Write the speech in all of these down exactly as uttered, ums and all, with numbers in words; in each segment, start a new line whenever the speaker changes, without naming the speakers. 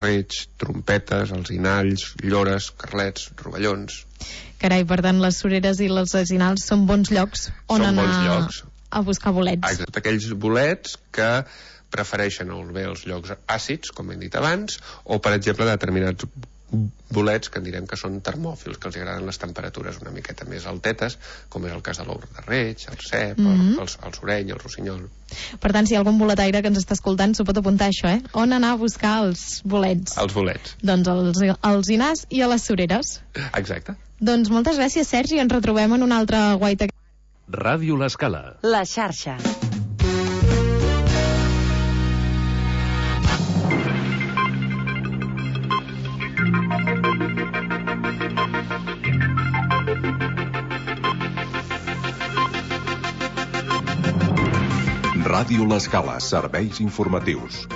reig, trompetes, alzinalls, llores, carlets, rovellons.
Carai, per tant, les Sureres i els alzinalls són bons llocs on
són
anar
bons llocs.
a buscar bolets.
Exacte, aquells bolets que prefereixen o bé els llocs àcids, com hem dit abans, o, per exemple, determinats bolets que en direm que són termòfils, que els agraden les temperatures una miqueta més altetes, com és el cas de l'ou de reig, el cep, mm-hmm. el, el soreny, el rossinyol.
Per tant, si hi ha algun boletaire que ens està escoltant, s'ho pot apuntar, això, eh? On anar a buscar els bolets?
Els bolets.
Doncs als alzinars i a les Sureres.
Exacte.
Doncs moltes gràcies, Sergi, ens retrobem en una altra guaita.
Ràdio L'Escala.
La xarxa.
Ràdio L'Escala, serveis informatius.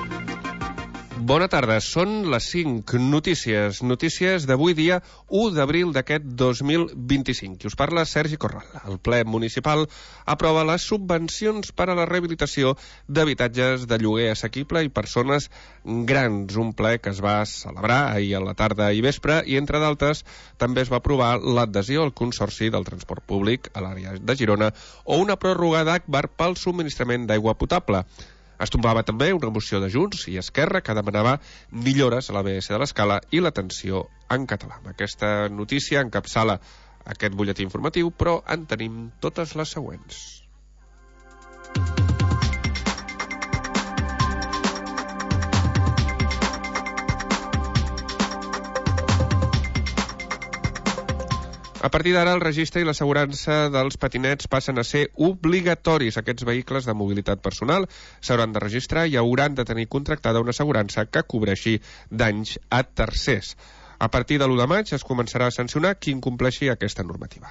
Bona tarda, són les cinc. Notícies, notícies d'avui dia u d'abril d'aquest dos mil vint-i-cinc. Qui us parla, Sergi Corral. El ple municipal aprova les subvencions per a la rehabilitació d'habitatges de lloguer assequible i persones grans. Un ple que es va celebrar ahir a la tarda i vespre i, entre d'altres, també es va aprovar l'adhesió al Consorci del Transport Públic a l'àrea de Girona o una pròrroga d'Agbar pel subministrament d'aigua potable. Es tombava també una moció de Junts i Esquerra que demanava millores a la B S de l'Escala i l'atenció en català. Aquesta notícia encapçala aquest butlletí informatiu, però en tenim totes les següents. A partir d'ara, el registre i l'assegurança dels patinets passen a ser obligatoris. Aquests vehicles de mobilitat personal s'hauran de registrar i hauran de tenir contractada una assegurança que cobreixi danys a tercers. A partir de l'u de maig es començarà a sancionar qui incompleixi aquesta normativa.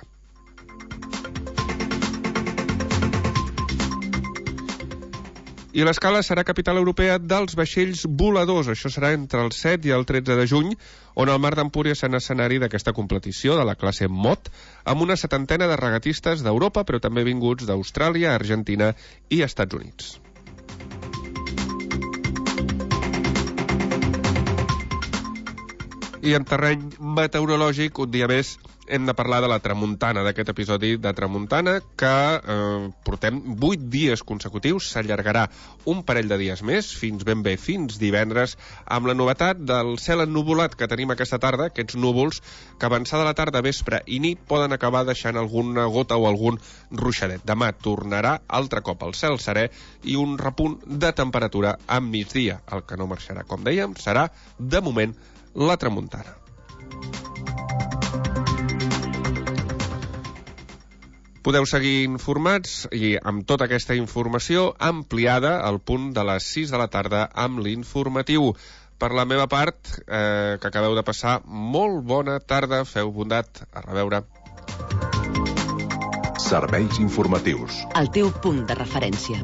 I l'Escala serà capital europea dels vaixells voladors. Això serà entre el set i el tretze de juny, on el Mar d'Empúries serà escenari d'aquesta competició de la classe Mot, amb una setantena de regatistes d'Europa, però també vinguts d'Austràlia, Argentina i Estats Units. I en terreny meteorològic, un dia més, hem de parlar de la tramuntana, d'aquest episodi de tramuntana que eh, portem vuit dies consecutius, s'allargarà un parell de dies més, fins ben bé fins divendres, amb la novetat del cel ennuvolat que tenim aquesta tarda, aquests núvols que avançada la tarda, vespre i nit poden acabar deixant alguna gota o algun ruixadet. Demà tornarà altre cop el cel serè i un repunt de temperatura a migdia. El que no marxarà, com dèiem, serà, de moment, la tramuntana. Podeu seguir informats i amb tota aquesta informació ampliada al punt de les sis de la tarda amb l'informatiu. Per la meva part, eh, que acabeu de passar, molt bona tarda, feu bondat, a reveure.
Serveis informatius.
El teu punt de referència.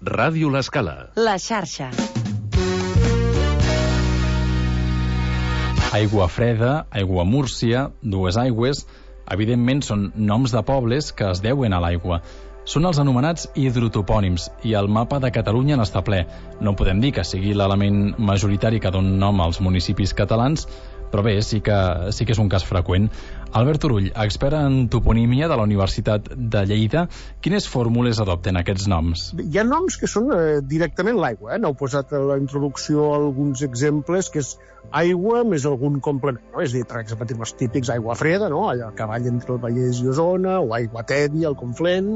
Ràdio L'Escala.
La xarxa.
Aigua Freda, Aigua Múrcia, Dues Aigües, evidentment són noms de pobles que es deuen a l'aigua. Són els anomenats hidrotopònims i el mapa de Catalunya n'està ple. No podem dir que sigui l'element majoritari que dona nom als municipis catalans, però bé, sí que, sí que és un cas freqüent. Albert Turull, expert en toponímia de la Universitat de Lleida, quines fórmules adopten aquests noms?
Hi ha noms que són eh, directament l'aigua, eh? N'heu posat a la introducció alguns exemples, que és aigua més algun complement, no? És a dir, per exemple, els típics aigua freda, no? Allà a cavall entre el Vallès i Osona, o aigua tèbia, el Conflent,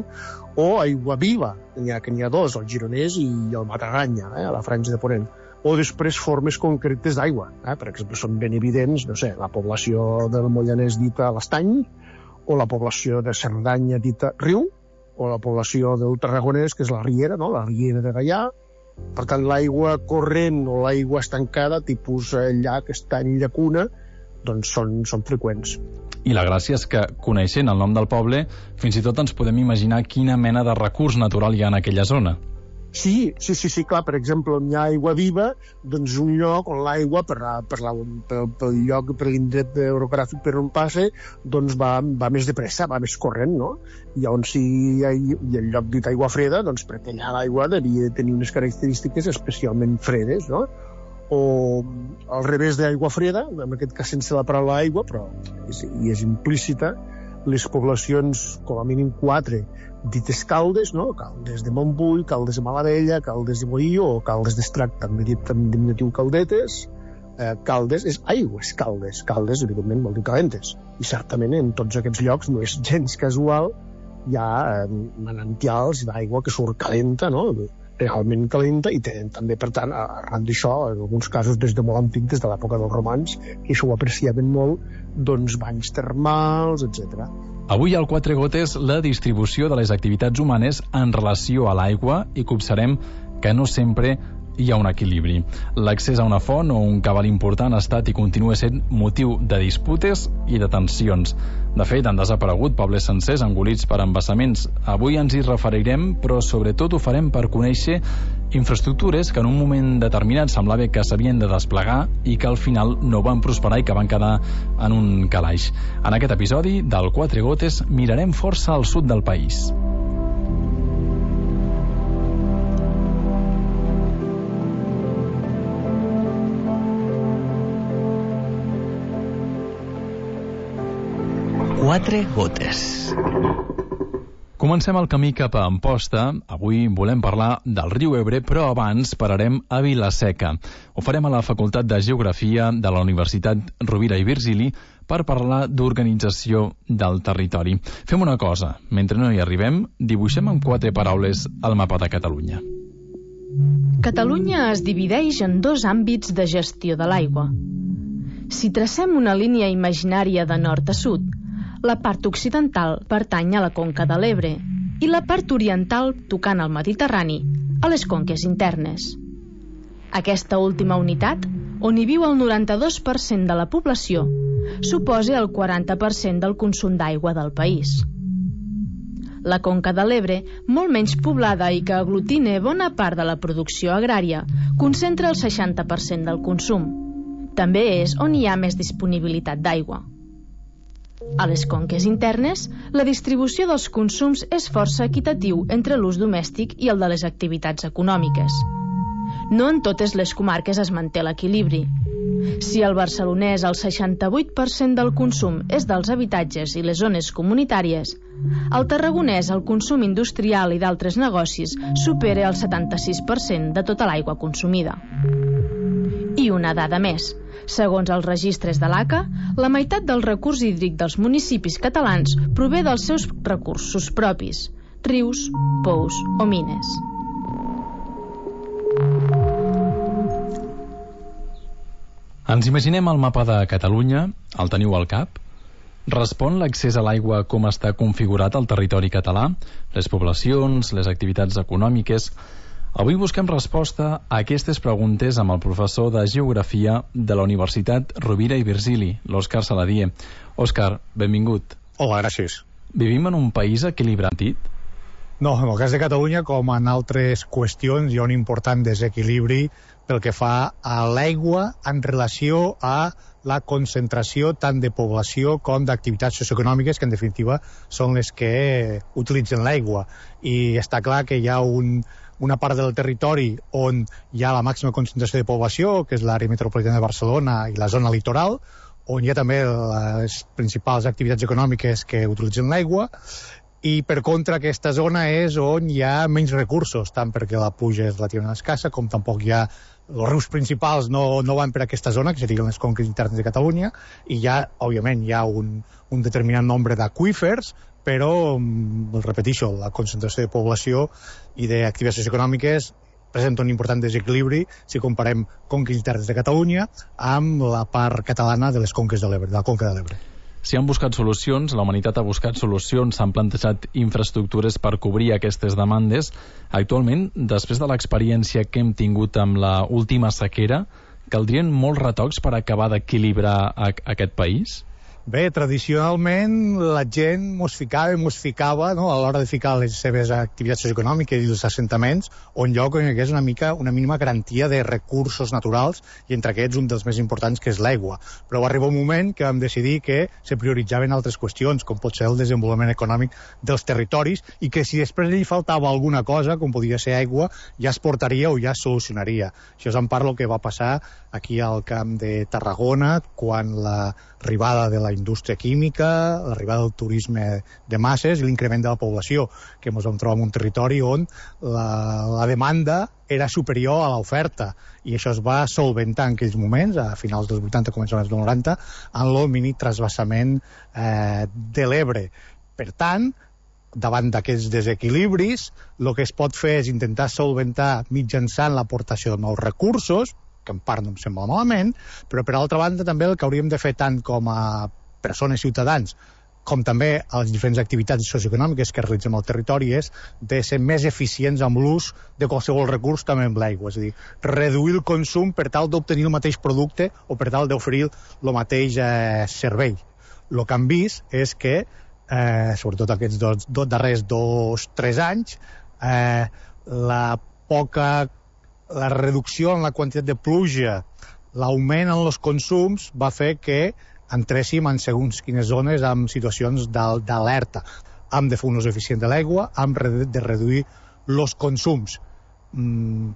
o aigua viva, n'hi ha, que n'hi ha dos, el Gironès i el Mataganya, eh? A la Franja de Ponent. O després formes concretes d'aigua. Eh? Per exemple, són ben evidents, no sé, la població del Moianès dita l'Estany, o la població de Cerdanya dita Riu, o la població del Tarragonès, que és la Riera, no? La Riera de Gaià. Per tant, l'aigua corrent o l'aigua estancada, tipus llac, estany, llacuna, doncs són, són freqüents.
I la gràcia és que, coneixent el nom del poble, fins i tot ens podem imaginar quina mena de recurs natural hi ha en aquella zona.
Sí, sí, sí, sí, clar, per exemple, on hi ha aigua viva, doncs un lloc on l'aigua, per, la, per, la, per, pel lloc, per l'indret orogràfic per on passe, doncs va, va més de pressa, va més corrent, no? I on sí hi ha, i el lloc dit aigua freda, doncs perquè allà l'aigua devia tenir unes característiques especialment fredes, no? O al revés d'aigua freda, en aquest cas sense la paraula aigua, però és, i és implícita, les poblacions, com a mínim quatre, dites Caldes, no? Caldes de Montbui, Caldes de Malavella, Caldes de Boí o Caldes d'Estrac, també dit en diminutiu Caldetes. Eh, Caldes és aigües caldes. Caldes, evidentment, vol dir calentes. I certament en tots aquests llocs no és gens casual, hi ha eh, manantials d'aigua que surt calenta, no? Realment calenta, i tenen també, per tant, arran d'això, en alguns casos des de molt antic, des de l'època dels romans, que això ho apreciaven molt, doncs banys termals, etcètera.
Avui al Quatre Gotes la distribució de les activitats humanes en relació a l'aigua i copsarem que no sempre hi ha un equilibri. L'accés a una font o un cabal important ha estat i continua sent motiu de disputes i de tensions. De fet, han desaparegut pobles sencers engolits per embassaments. Avui ens hi referirem, però sobretot ho farem per conèixer infraestructures que en un moment determinat semblava que s'havien de desplegar i que al final no van prosperar i que van quedar en un calaix. En aquest episodi del Quatre Gotes mirarem força al sud del país.
Quatre gotes.
Comencem el camí cap a Amposta. Avui volem parlar del riu Ebre, però abans pararem a Vila-seca. Ho farem a la Facultat de Geografia de la Universitat Rovira i Virgili per parlar d'organització del territori. Fem una cosa, mentre no hi arribem, dibuixem amb quatre paraules el mapa de Catalunya.
Catalunya es divideix en dos àmbits de gestió de l'aigua. Si tracem una línia imaginària de nord a sud, la part occidental pertany a la conca de l'Ebre i la part oriental, tocant al Mediterrani, a les conques internes. Aquesta última unitat, on hi viu el noranta-dos per cent de la població, suposa el quaranta per cent del consum d'aigua del país. La conca de l'Ebre, molt menys poblada i que aglutina bona part de la producció agrària, concentra el seixanta per cent del consum. També és on hi ha més disponibilitat d'aigua. A les conques internes, la distribució dels consums és força equitatiu entre l'ús domèstic i el de les activitats econòmiques. No en totes les comarques es manté l'equilibri. Si al barcelonès el seixanta-vuit per cent del consum és dels habitatges i les zones comunitàries, al tarragonès el consum industrial i d'altres negocis supera el setanta-sis per cent de tota l'aigua consumida. I una dada més. Segons els registres de l'A C A, la meitat del recurs hídric dels municipis catalans prové dels seus recursos propis, rius, pous o mines.
Ens imaginem el mapa de Catalunya, el teniu al cap? Respon l'accés a l'aigua com està configurat al territori català, les poblacions, les activitats econòmiques. Avui busquem resposta a aquestes preguntes amb el professor de Geografia de la Universitat Rovira i Virgili, l'Òscar Saladié. Òscar, benvingut.
Hola, gràcies.
Vivim en un país equilibrat?
No, en el cas de Catalunya, com en altres qüestions, hi ha un important desequilibri pel que fa a l'aigua en relació a la concentració tant de població com d'activitats socioeconòmiques, que en definitiva són les que utilitzen l'aigua. I està clar que hi ha un, una part del territori on hi ha la màxima concentració de població, que és l'àrea metropolitana de Barcelona i la zona litoral, on hi ha també les principals activitats econòmiques que utilitzen l'aigua, i per contra aquesta zona és on hi ha menys recursos, tant perquè la pluja és relativament escassa, com tampoc hi ha els rius principals no, no van per aquesta zona, que serien les conques internes de Catalunya, i ja, òbviament, hi ha un, un determinat nombre d'aqüífers, però, el repeteixo, la concentració de població i d'activitats socioeconòmiques presenta un important desequilibri si comparem conques internes de Catalunya amb la part catalana de les conques de l'Ebre, de la conca de l'Ebre.
Si han buscat solucions, la humanitat ha buscat solucions, s'han plantejat infraestructures per cobrir aquestes demandes. Actualment, després de l'experiència que hem tingut amb la última sequera, caldrien molts retocs per acabar d'equilibrar a, a aquest país?
Bé, tradicionalment la gent mos ficava, mos ficava no, a l'hora de ficar les seves activitats socioeconòmiques i els assentaments un lloc on hi hagués una mica una mínima garantia de recursos naturals i entre aquests un dels més importants que és l'aigua. Però va arribar un moment que vam decidir que se prioritzaven altres qüestions, com pot ser el desenvolupament econòmic dels territoris i que si després li faltava alguna cosa, com podia ser aigua, ja es portaria o ja es solucionaria. Això és en part el que va passar aquí al camp de Tarragona quan l'arribada de la indústria química, l'arribada del turisme de masses i l'increment de la població, que ens vam trobar en un territori on la, la demanda era superior a l'oferta i això es va solventar en aquells moments, a finals dels vuitanta, començaments dels noranta, en el mini trasbassament eh, de l'Ebre. Per tant, davant d'aquests desequilibris, el que es pot fer és intentar solventar mitjançant l'aportació de nous recursos, que en part no em sembla malament, però per altra banda també el que hauríem de fer tant com a persones ciutadans com també a les diferents activitats socioeconòmiques que realitzem al territori és de ser més eficients amb l'ús de qualsevol recurs, també amb l'aigua, és a dir, reduir el consum per tal d'obtenir el mateix producte o per tal d'oferir el mateix eh, servei. El que hem vist és que, eh, sobretot aquests dos, dos darrers dos, tres anys, eh, la poca la reducció en la quantitat de pluja, l'augment en els consums va fer que entréssim en segons quines zones amb situacions d'alerta. Hem de fer un ús eficient de l'aigua, hem de reduir els consums. Mm.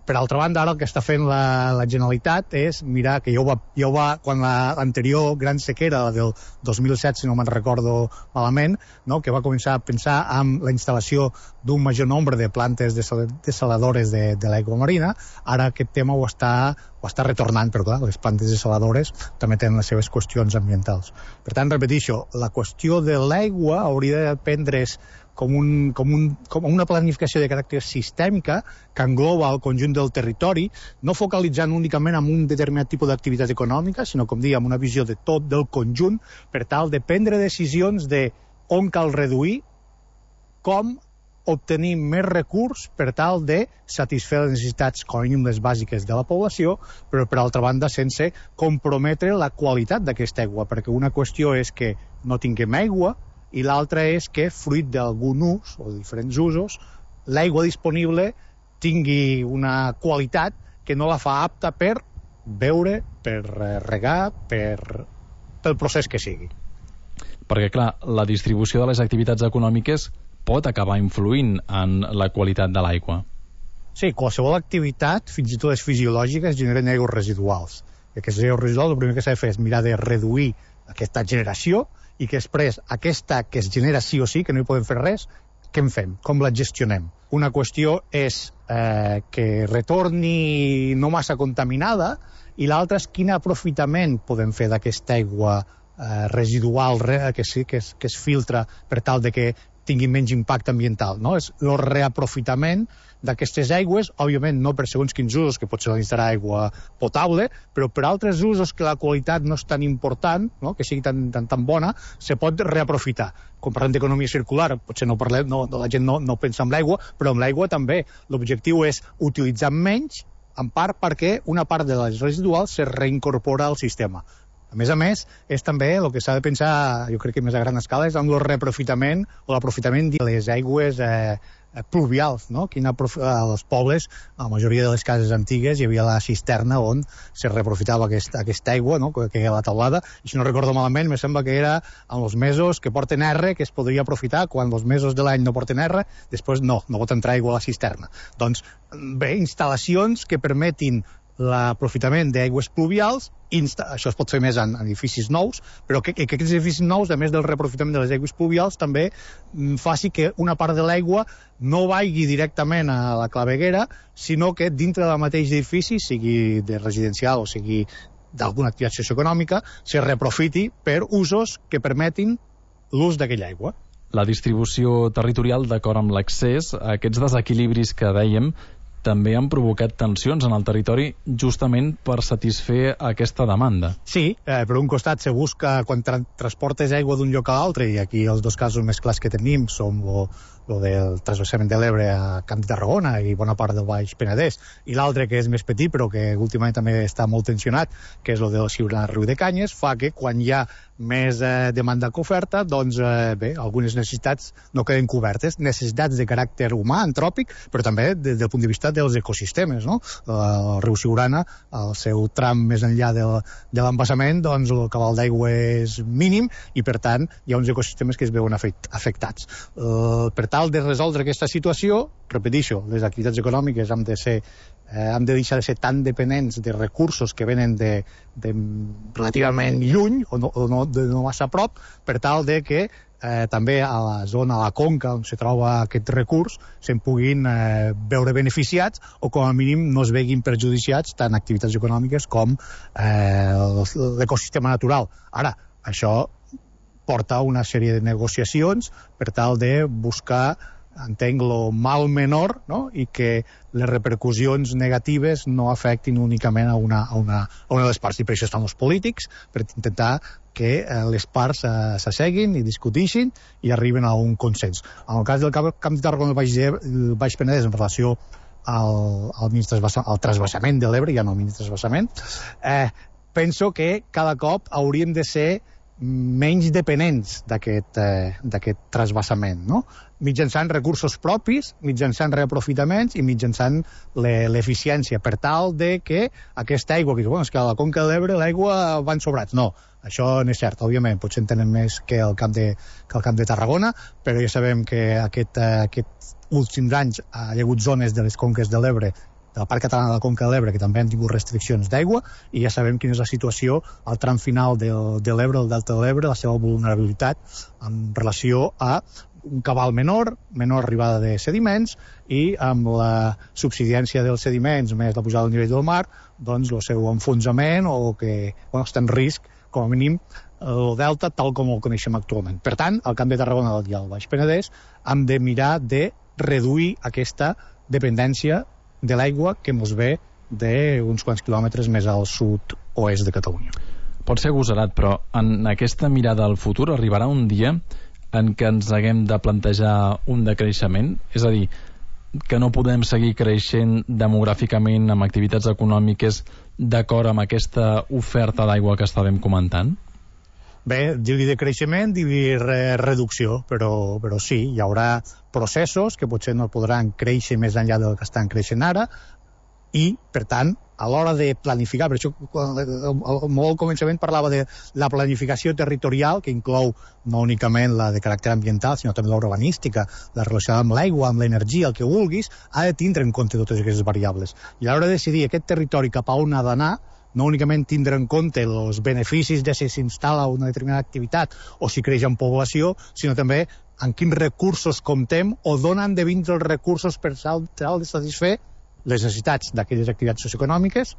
Per altra banda, ara el que està fent la, la Generalitat és mirar que ja ho va, ja ho va quan l'anterior la, gran sequera, la del dos mil set, si no me'n recordo malament, no? Que va començar a pensar en la instal·lació d'un major nombre de plantes desaladores de, de l'aigua marina. Ara aquest tema ho està, ho està retornant, però clar, les plantes desaladores també tenen les seves qüestions ambientals. Per tant, repeteixo, la qüestió de l'aigua hauria de prendre's com, un, com, un, com una planificació de caràcter sistèmica que engloba el conjunt del territori, no focalitzant únicament en un determinat tipus d'activitat econòmica, sinó, com dèiem, una visió de tot del conjunt per tal de prendre decisions de on cal reduir, com obtenir més recurs per tal de satisfer les necessitats, com a mínim les bàsiques de la població, però per altra banda sense comprometre la qualitat d'aquesta aigua, perquè una qüestió és que no tinguem aigua i l'altra és que, fruit d'algun ús o de diferents usos, l'aigua disponible tingui una qualitat que no la fa apta per beure, per regar, per, pel procés que sigui.
Perquè, clar, la distribució de les activitats econòmiques pot acabar influint en la qualitat de l'aigua.
Sí, qualsevol activitat, fins i tot les fisiològiques, generen aigües residuals. I aquestes aigües residuals, el primer que s'ha de fer és mirar de reduir aquesta generació i que després aquesta que es genera sí o sí, que no hi podem fer res, què en fem? Com la gestionem? Una qüestió és eh, que retorni no massa contaminada i l'altra és quin aprofitament podem fer d'aquesta aigua eh, residual que, sí, que, es, que es filtra per tal de que tingui menys impacte ambiental, no? És el reaprofitament d'aquestes aigües, òbviament no per segons quins usos, que pot ser instal·lar aigua potable, però per altres usos que la qualitat no és tan important, no? Que sigui tan, tan, tan bona, se pot reaprofitar. Quan parlem d'economia circular, potser no parlem, no, la gent no, no pensa en l'aigua, però amb l'aigua també. L'objectiu és utilitzar menys, en part perquè una part de les residuals se reincorpora al sistema. A més a més, és també el que s'ha de pensar, jo crec que més a gran escala, és amb el reaprofitament o l'aprofitament de les aigües eh, pluvials, no? Quina als pobles, a la majoria de les cases antigues, hi havia la cisterna on se reaprofitava aquesta, aquesta aigua, no? Que hi ha a la teulada, i si no recordo malament, me sembla que era en els mesos que porten R, que es podria aprofitar, quan els mesos de l'any no porten R, després no, no pot entrar aigua a la cisterna. Doncs, bé, instal·lacions que permetin l'aprofitament d'aigües pluvials, insta això es pot fer més en, en edificis nous, però que, que aquests edificis nous, a més del reaprofitament de les aigües pluvials, també mm, faci que una part de l'aigua no vagi directament a la claveguera, sinó que dintre del mateix edifici, sigui de residencial o sigui d'alguna activitat socioeconòmica, se reaprofiti per usos que permetin l'ús d'aquella aigua.
La distribució territorial, d'acord amb l'accés, aquests desequilibris que dèiem, també han provocat tensions en el territori justament per satisfer aquesta demanda.
Sí, eh, per un costat se busca quan tra transportes aigua d'un lloc a l'altre, i aquí els dos casos més clars que tenim són lo, lo del transvasament de l'Ebre a Camp de Tarragona i bona part del Baix Penedès, i l'altre que és més petit però que últimament també està molt tensionat, que és lo del Siurana Riu de Canyes, fa que quan hi ha més eh, demanda que oferta, doncs eh, bé, algunes necessitats no queden cobertes, necessitats de caràcter humà, antròpic, però també des del punt de vista dels ecosistemes, no? El riu Siurana, el seu tram més enllà de, de l'embassament, doncs el cabal d'aigua és mínim i, per tant, hi ha uns ecosistemes que es veuen afectats. Eh, per tal de resoldre aquesta situació, repeteixo, les activitats econòmiques han de ser eh, han de deixar de ser tan dependents de recursos que venen de, de relativament lluny o no, o no, de no massa a prop, per tal de que eh, també a la zona, a la conca on se troba aquest recurs, se'n puguin eh, veure beneficiats o com a mínim no es veguin perjudiciats tant activitats econòmiques com eh, l'ecosistema natural. Ara, això porta una sèrie de negociacions per tal de buscar, entenc, lo mal menor, no? I que les repercussions negatives no afectin únicament a una, a una, a una de les parts. I per això estan els polítics, per intentar que eh, les parts eh, s'asseguin i discutixin i arriben a un consens. En el cas del Camp, camp de Tarragona del Baix, el Baix Penedès, en relació al, al, al trasbassament de l'Ebre, ja no al mini trasbassament, eh, penso que cada cop hauríem de ser menys dependents d'aquest eh, d'aquest trasbassament, no? Mitjançant recursos propis, mitjançant reaprofitaments i mitjançant l'eficiència, per tal de que aquesta aigua, que bueno, és que a la conca de l'Ebre l'aigua van sobrats. No, això no és cert, òbviament, potser en tenen més que el camp de, que el camp de Tarragona, però ja sabem que aquest, eh, aquests últims anys hi ha hagut zones de les conques de l'Ebre, del Parc Català de la Conca de l'Ebre, que també han tingut restriccions d'aigua, i ja sabem quina és la situació al tram final de, de l'Ebre, el Delta de l'Ebre, la seva vulnerabilitat en relació a un cabal menor, menor arribada de sediments, i amb la subsidència dels sediments més la pujada del nivell del mar, doncs el seu enfonsament o que bueno, està en risc, com a mínim, el delta tal com el coneixem actualment. Per tant, al Camp de Tarragona i al Baix Penedès hem de mirar de reduir aquesta dependència de l'aigua que ens ve d'uns quants quilòmetres més al sud-oest de Catalunya.
Pot ser agosarat, però en aquesta mirada al futur arribarà un dia en què ens haguem de plantejar un decreixement? És a dir, que no podem seguir creixent demogràficament amb activitats econòmiques d'acord amb aquesta oferta d'aigua que estàvem comentant?
Bé, dir-li de creixement, dir-li re reducció, però, però sí, hi haurà processos que potser no podran créixer més enllà del que estan creixent ara i, per tant, a l'hora de planificar, per això al molt començament parlava de la planificació territorial, que inclou no únicament la de caràcter ambiental, sinó també la urbanística, la relacionada amb l'aigua, amb l'energia, el que vulguis, ha de tindre en compte totes aquestes variables. I a l'hora de decidir aquest territori cap a on ha d'anar, no únicament tindre en compte els beneficis de si s'instal·la una determinada activitat o si creix en població, sinó també en quins recursos comptem o d'on han de vindre els recursos per tal de satisfer les necessitats d'aquelles activitats socioeconòmiques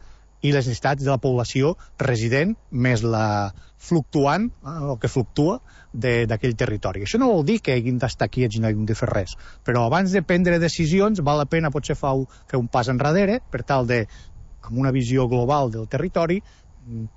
i les necessitats de la població resident més la fluctuant, eh, el que fluctua d'aquell territori. Això no vol dir que hàgim d'estar quiets i no hàgim de fer res, però abans de prendre decisions val la pena potser fer un pas enrere per tal de, amb una visió global del territori,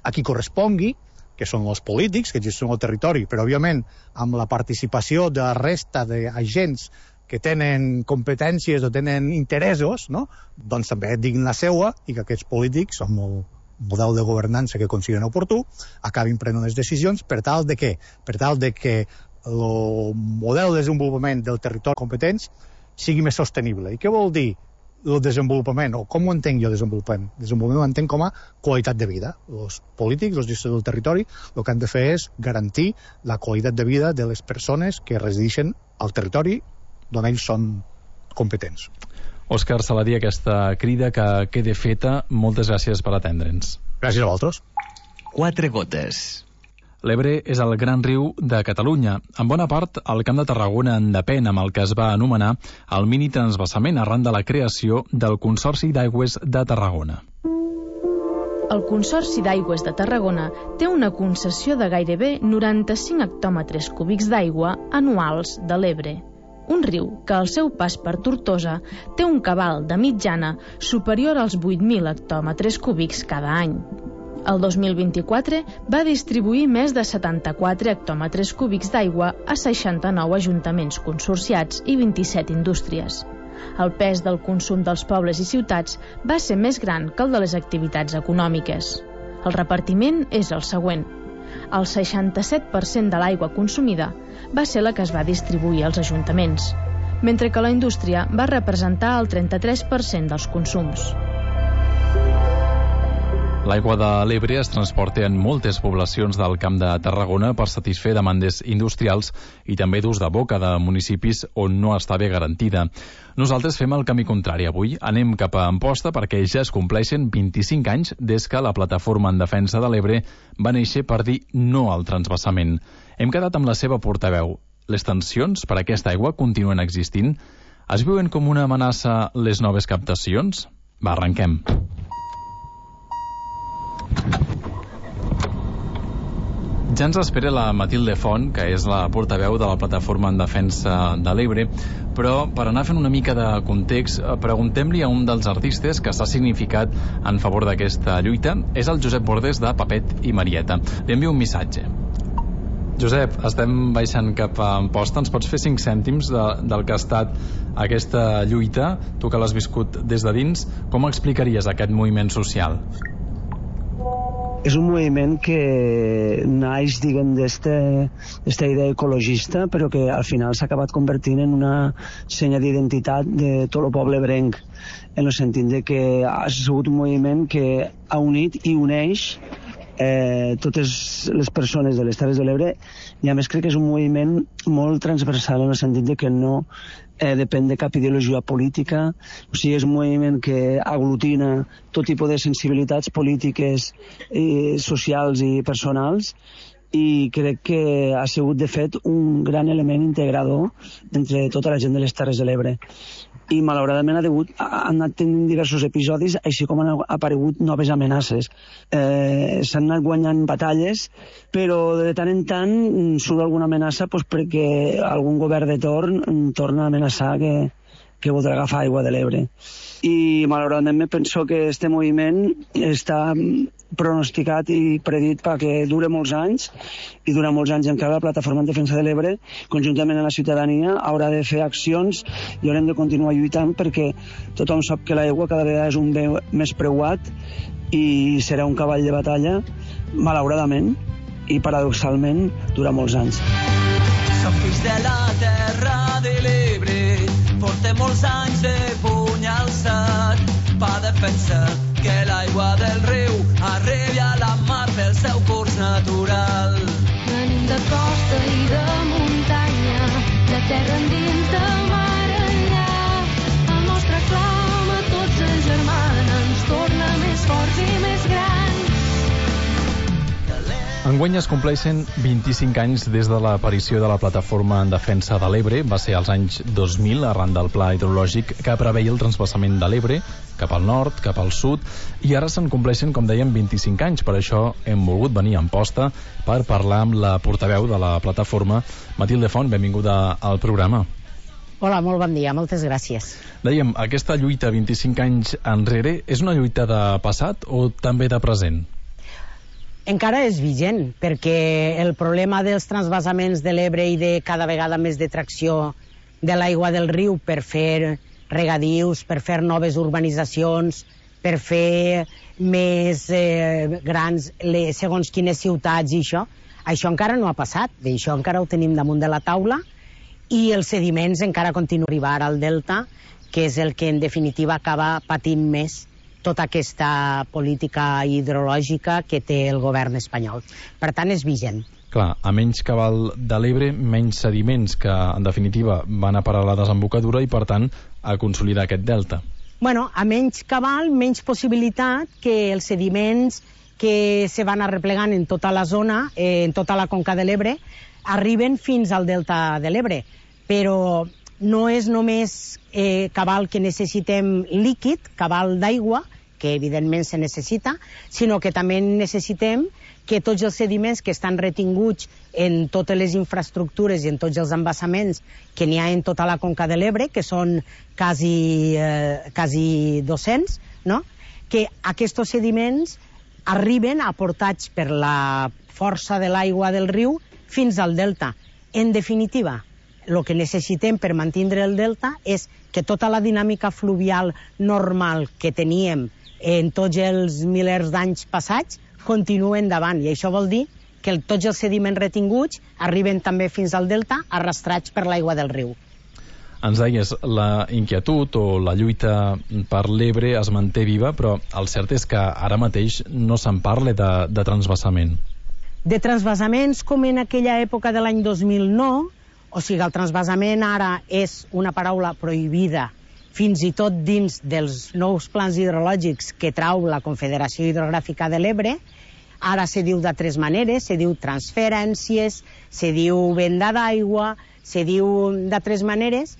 a qui correspongui, que són els polítics que gestionen el territori, però òbviament amb la participació de la resta d'agents que tenen competències o tenen interessos, no? Doncs també diguin la seua i que aquests polítics, amb el model de governança que consideren oportú, acabin prenent les decisions per tal de què? Per tal de que el model de desenvolupament del territori competents sigui més sostenible. I què vol dir el desenvolupament, o com ho entenc jo desenvolupament? Desenvolupament ho entenc com a qualitat de vida. Els polítics, els gestors del territori, el que han de fer és garantir la qualitat de vida de les persones que resideixen al territori d'on ells són competents.
Òscar Saladí, aquesta crida que quede feta, moltes gràcies per atendre'ns.
Gràcies a vosaltres.
Quatre gotes.
L'Ebre és el gran riu de Catalunya. En bona part, el Camp de Tarragona en depèn, amb el que es va anomenar el mini transvasament arran de la creació del Consorci d'Aigües de Tarragona.
El Consorci d'Aigües de Tarragona té una concessió de gairebé noranta-cinc hectòmetres cúbics d'aigua anuals de l'Ebre. Un riu que al seu pas per Tortosa té un cabal de mitjana superior als vuit mil hectòmetres cúbics cada any. El dos mil vint-i-quatre va distribuir més de setanta-quatre hectòmetres cúbics d'aigua a seixanta-nou ajuntaments consorciats i vint-i-set indústries. El pes del consum dels pobles i ciutats va ser més gran que el de les activitats econòmiques. El repartiment és el següent. el seixanta-set per cent de l'aigua consumida va ser la que es va distribuir als ajuntaments, mentre que la indústria va representar el trenta-tres per cent dels consums.
L'aigua de l'Ebre es transporta en moltes poblacions del Camp de Tarragona per satisfer demandes industrials i també d'ús de boca de municipis on no està bé garantida. Nosaltres fem el camí contrari avui. Anem cap a Amposta perquè ja es compleixen vint-i-cinc anys des que la Plataforma en Defensa de l'Ebre va néixer per dir no al transvasament. Hem quedat amb la seva portaveu. Les tensions per aquesta aigua continuen existint? Es veuen com una amenaça les noves captacions? Va, arrenquem. Ja ens espera la Matilde Font, que és la portaveu de la Plataforma en Defensa de l'Ebre, però per anar fent una mica de context, preguntem-li a un dels artistes que s'ha significat en favor d'aquesta lluita. És el Josep Bordes de Papet i Marieta. Li envio un missatge. Josep, estem baixant cap a Amposta. Ens pots fer cinc cèntims de, del que ha estat aquesta lluita? Tu que l'has viscut des de dins, com explicaries aquest moviment social?
És un moviment que naix, diguem, d'esta idea ecologista, però que al final s'ha acabat convertint en una senya d'identitat de tot el poble ebrenc, en el sentit de que ha sigut un moviment que ha unit i uneix eh, totes les persones de les Terres de l'Ebre, i a més crec que és un moviment molt transversal en el sentit de que no Eh, depèn de cap ideologia política, o sigui, és un moviment que aglutina tot tipus de sensibilitats polítiques, eh, socials i personals, i crec que ha sigut, de fet, un gran element integrador entre tota la gent de les Terres de l'Ebre. I malauradament ha, degut, ha anat tenint diversos episodis, així com han aparegut noves amenaces. Eh, S'han anat guanyant batalles, però de tant en tant surt alguna amenaça doncs, perquè algun govern de torn torna a amenaçar que, que voldrà agafar aigua de l'Ebre. I malauradament penso que este moviment està pronosticat i predit perquè dure molts anys, i durant molts anys encara la Plataforma en Defensa de l'Ebre, conjuntament amb la ciutadania, haurà de fer accions i haurem de continuar lluitant perquè tothom sap que l'aigua cada vegada és un bé més preuat i serà un cavall de batalla, malauradament, i paradoxalment durant molts anys.
Som fills de la terra de l'Ebre, portem molts anys de puny alçat per defensar que l'aigua del riu arribi a la mar pel seu curs natural.
Venim de costa i de muntanya, de terra endins, de mar enllà. El nostre clam a tots ens germana, ens torna més forts i més grans.
Enguany es compleixen vint-i-cinc anys des de l'aparició de la Plataforma en Defensa de l'Ebre. Va ser als anys dos mil, arran del pla hidrològic que preveia el transvasament de l'Ebre cap al nord, cap al sud, i ara se'n compleixen, com dèiem, vint-i-cinc anys. Per això hem volgut venir a Amposta per parlar amb la portaveu de la plataforma, Matilde Font. Benvinguda al programa.
Hola, molt bon dia, moltes gràcies.
Dèiem, aquesta lluita vint-i-cinc anys enrere és una lluita de passat o també de present?
Encara és vigent, perquè el problema dels transvasaments de l'Ebre i de cada vegada més de tracció de l'aigua del riu per fer regadius, per fer noves urbanitzacions, per fer més eh, grans les, segons quines ciutats i això, això encara no ha passat, això encara ho tenim damunt de la taula, i els sediments encara continuen a arribar al delta, que és el que en definitiva acaba patint més tota aquesta política hidrològica que té el govern espanyol. Per tant, és vigent.
Clar, a menys cabal de l'Ebre, menys sediments que, en definitiva, van a parar a la desembocadura i, per tant, a consolidar aquest delta.
Bueno, a menys cabal, menys possibilitat que els sediments que se van arreplegant en tota la zona, eh, en tota la conca de l'Ebre, arriben fins al delta de l'Ebre. Però no és només eh, cabal que necessitem líquid, cabal d'aigua, que evidentment se necessita, sinó que també necessitem que tots els sediments que estan retinguts en totes les infraestructures i en tots els embassaments que n'hi ha en tota la conca de l'Ebre, que són quasi, eh, quasi dos-cents, no? Que aquests sediments arriben aportats per la força de l'aigua del riu fins al delta. En definitiva, el que necessitem per mantenir el delta és que tota la dinàmica fluvial normal que teníem en tots els milers d'anys passats continua endavant, i això vol dir que el, tots els sediments retinguts arriben també fins al delta, arrastrats per l'aigua del riu.
Ens deies, la inquietud o la lluita per l'Ebre es manté viva, però el cert és que ara mateix no se'n parla de, de transvasament.
De transvasaments com en aquella època de l'any dos mil nou, o sigui, el transvasament ara és una paraula prohibida, fins i tot dins dels nous plans hidrològics que trau la Confederació Hidrogràfica de l'Ebre. Ara se diu d'altres maneres, se diu transferències, se diu venda d'aigua, se diu d'altres maneres,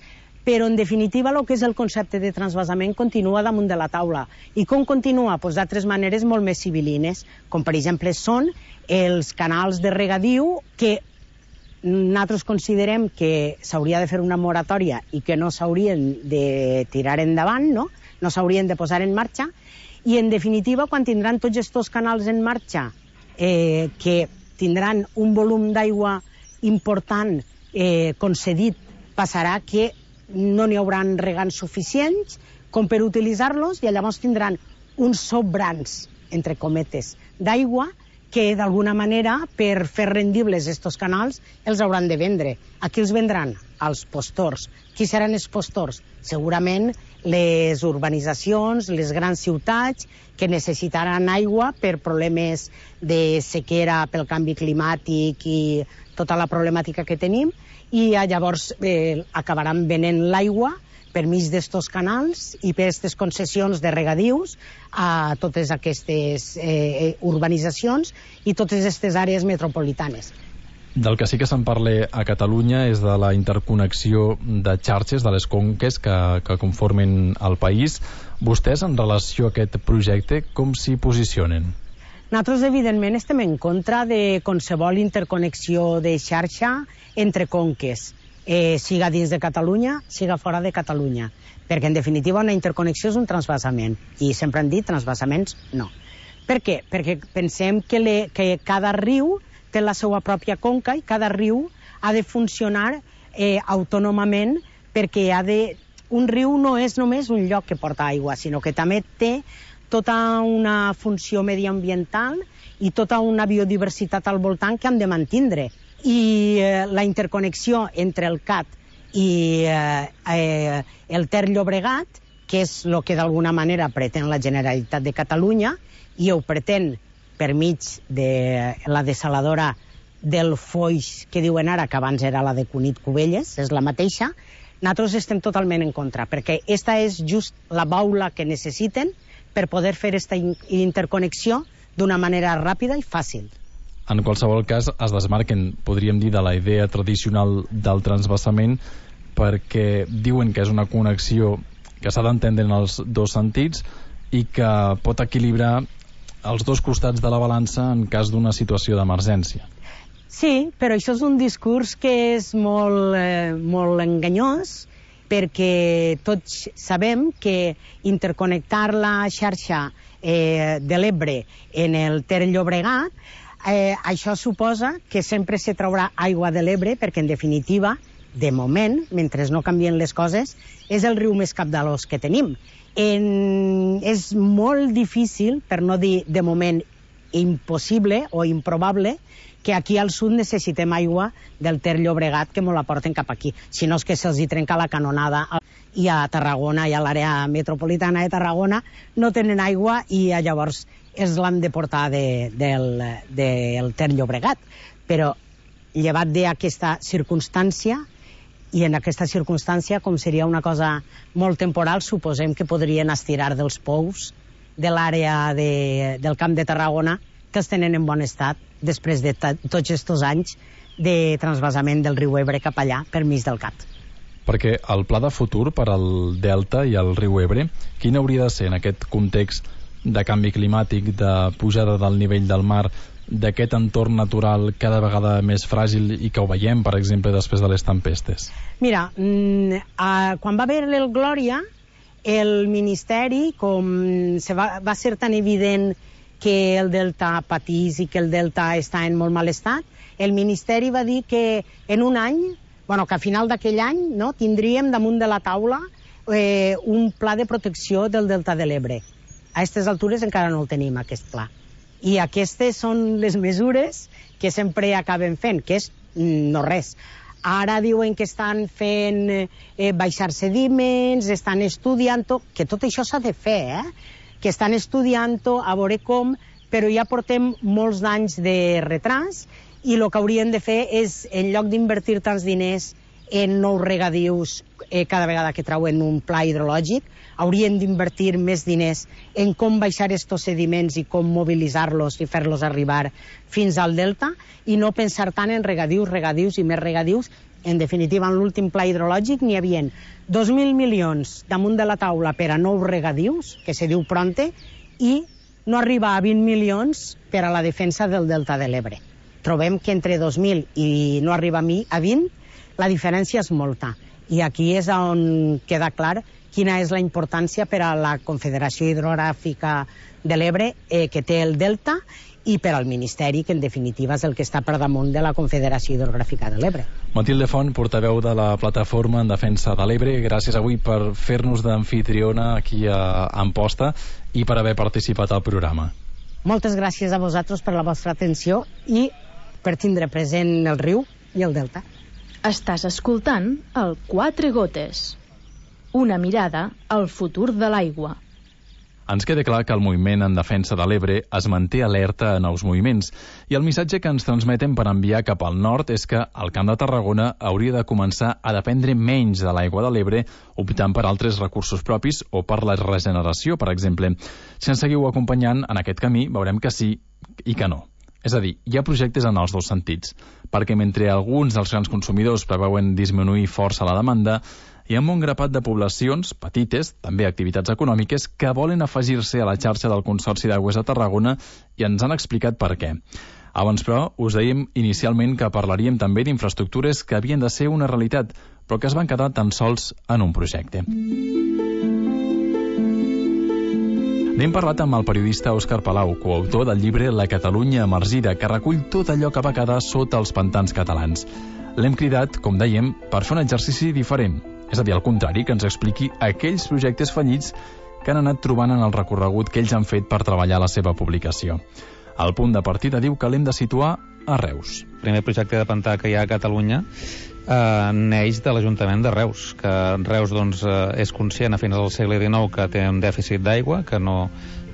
però en definitiva el que és el concepte de transvasament continua damunt de la taula. I com continua? Pues d'altres maneres molt més civilines, com per exemple són els canals de regadiu que nosaltres considerem que s'hauria de fer una moratòria i que no s'haurien de tirar endavant, no, no s'haurien de posar en marxa, i en definitiva quan tindran tots aquests canals en marxa eh, que tindran un volum d'aigua important eh, concedit, passarà que no n'hi hauran regants suficients com per utilitzar-los i llavors tindran uns sobrants, entre cometes, d'aigua que d'alguna manera per fer rendibles estos canals els hauran de vendre. A qui els vendran? Als postors. Qui seran els postors? Segurament les urbanitzacions, les grans ciutats que necessitaran aigua per problemes de sequera pel canvi climàtic i tota la problemàtica que tenim, i llavors eh, acabaran venent l'aigua per mig d'estos canals i per aquestes concessions de regadius a totes aquestes eh, urbanitzacions i totes aquestes àrees metropolitanes.
Del que sí que se'n parla a Catalunya és de la interconnexió de xarxes de les conques que, que conformen el país. Vostès, en relació a aquest projecte, com s'hi posicionen?
Nosaltres, evidentment, estem en contra de qualsevol interconnexió de xarxa entre conques, eh, siga dins de Catalunya, siga fora de Catalunya, perquè, en definitiva, una interconnexió és un transvasament, i sempre han dit transvasaments no. Per què? Perquè pensem que, le, que cada riu té la seva pròpia conca i cada riu ha de funcionar eh, autònomament, perquè ha de... un riu no és només un lloc que porta aigua, sinó que també té tota una funció mediambiental i tota una biodiversitat al voltant que han de mantindre. I eh, la interconnexió entre el Cat i eh, eh, el Ter Llobregat, que és el que d'alguna manera pretén la Generalitat de Catalunya, i ho pretén per mig de la desaladora del Foix, que diuen ara, que abans era la de Cunit Cubelles, és la mateixa. Nosaltres estem totalment en contra, perquè esta és just la baula que necessiten per poder fer aquesta interconnexió d'una manera ràpida i fàcil.
En qualsevol cas, es desmarquen, podríem dir, de la idea tradicional del transvasament, perquè diuen que és una connexió que s'ha d'entendre en els dos sentits i que pot equilibrar els dos costats de la balança en cas d'una situació d'emergència.
Sí, però això és un discurs que és molt, eh, molt enganyós, perquè tots sabem que interconnectar la xarxa eh, de l'Ebre en el Ter Llobregat, eh, això suposa que sempre se traurà aigua de l'Ebre, perquè en definitiva, de moment, mentre no canvien les coses, és el riu més capdalós que tenim. En... És molt difícil, per no dir de moment impossible o improbable, que aquí al sud necessitem aigua del Ter Llobregat que mos la porten cap aquí. Si no és que se'ls hi trenca la canonada i a Tarragona i a l'àrea metropolitana de Tarragona no tenen aigua i llavors es l'han de portar de, del, del Ter Llobregat. Però llevat d'aquesta circumstància, i en aquesta circumstància, com seria una cosa molt temporal, suposem que podrien estirar dels pous de l'àrea de, del Camp de Tarragona, que els tenen en bon estat després de tots aquests anys de transvasament del riu Ebre cap allà per mig del Cat.
Perquè el pla de futur per al Delta i el riu Ebre, quin hauria de ser en aquest context de canvi climàtic, de pujada del nivell del mar, d'aquest entorn natural cada vegada més fràgil i que ho veiem, per exemple, després de les tempestes?
Mira, mm, eh, quan va haver el Glòria, el Ministeri, com se va, va ser tan evident que el delta patís i que el delta està en molt mal estat, el Ministeri va dir que en un any, bueno, que a final d'aquell any, no, tindríem damunt de la taula eh, un pla de protecció del delta de l'Ebre. A aquestes altures encara no el tenim, aquest pla. I aquestes són les mesures que sempre acaben fent, que és no res. Ara diuen que estan fent eh, baixar sediments, estan estudiant-ho, que tot això s'ha de fer, eh? que estan estudiant-ho, a veure com, però ja portem molts anys de retras i el que haurien de fer és, en lloc d'invertir tants diners en nous regadius eh, cada vegada que trauen un pla hidrològic, haurien d'invertir més diners en com baixar estos sediments i com mobilitzar-los i fer-los arribar fins al delta i no pensar tant en regadius, regadius i més regadius. En definitiva, en l'últim pla hidrològic n'hi havia dos mil milions damunt de la taula per a nous regadius, que se diu Pronte, i no arriba a vint milions per a la defensa del delta de l'Ebre. Trobem que entre dos mil i no arriba a vint, la diferència és molta. I aquí és on queda clar quina és la importància per a la Confederació Hidrogràfica de l'Ebre eh, que té el delta i per al Ministeri, que en definitiva és el que està per damunt de la Confederació Hidrogràfica de l'Ebre.
Matilde Font, portaveu de la Plataforma en Defensa de l'Ebre, gràcies avui per fer-nos d'anfitriona aquí a Amposta i per haver participat al programa.
Moltes gràcies a vosaltres per la vostra atenció i per tindre present el riu i el delta.
Estàs escoltant el Quatre Gotes, una mirada al futur de l'aigua.
Ens queda clar que el moviment en defensa de l'Ebre es manté alerta a nous moviments i el missatge que ens transmeten per enviar cap al nord és que el Camp de Tarragona hauria de començar a dependre menys de l'aigua de l'Ebre optant per altres recursos propis o per la regeneració, per exemple. Si ens seguiu acompanyant en aquest camí veurem que sí i que no. És a dir, hi ha projectes en els dos sentits, perquè mentre alguns dels grans consumidors preveuen disminuir força la demanda, hi ha un grapat de poblacions, petites, també activitats econòmiques, que volen afegir-se a la xarxa del Consorci d'Aigües de Tarragona i ens han explicat per què. Abans, però, us dèiem inicialment que parlaríem també d'infraestructures que havien de ser una realitat, però que es van quedar tan sols en un projecte. N'hem parlat amb el periodista Òscar Palau, coautor del llibre La Catalunya emergida, que recull tot allò que va quedar sota els pantans catalans. L'hem cridat, com dèiem, per fer un exercici diferent, és a dir, al contrari, que ens expliqui aquells projectes fallits que han anat trobant en el recorregut que ells han fet per treballar la seva publicació. El punt de partida diu que l'hem de situar a Reus.
El primer projecte de pantà que hi ha a Catalunya eh, neix de l'Ajuntament de Reus, que Reus doncs, eh, és conscient a finals del segle dinou que té un dèficit d'aigua, que no,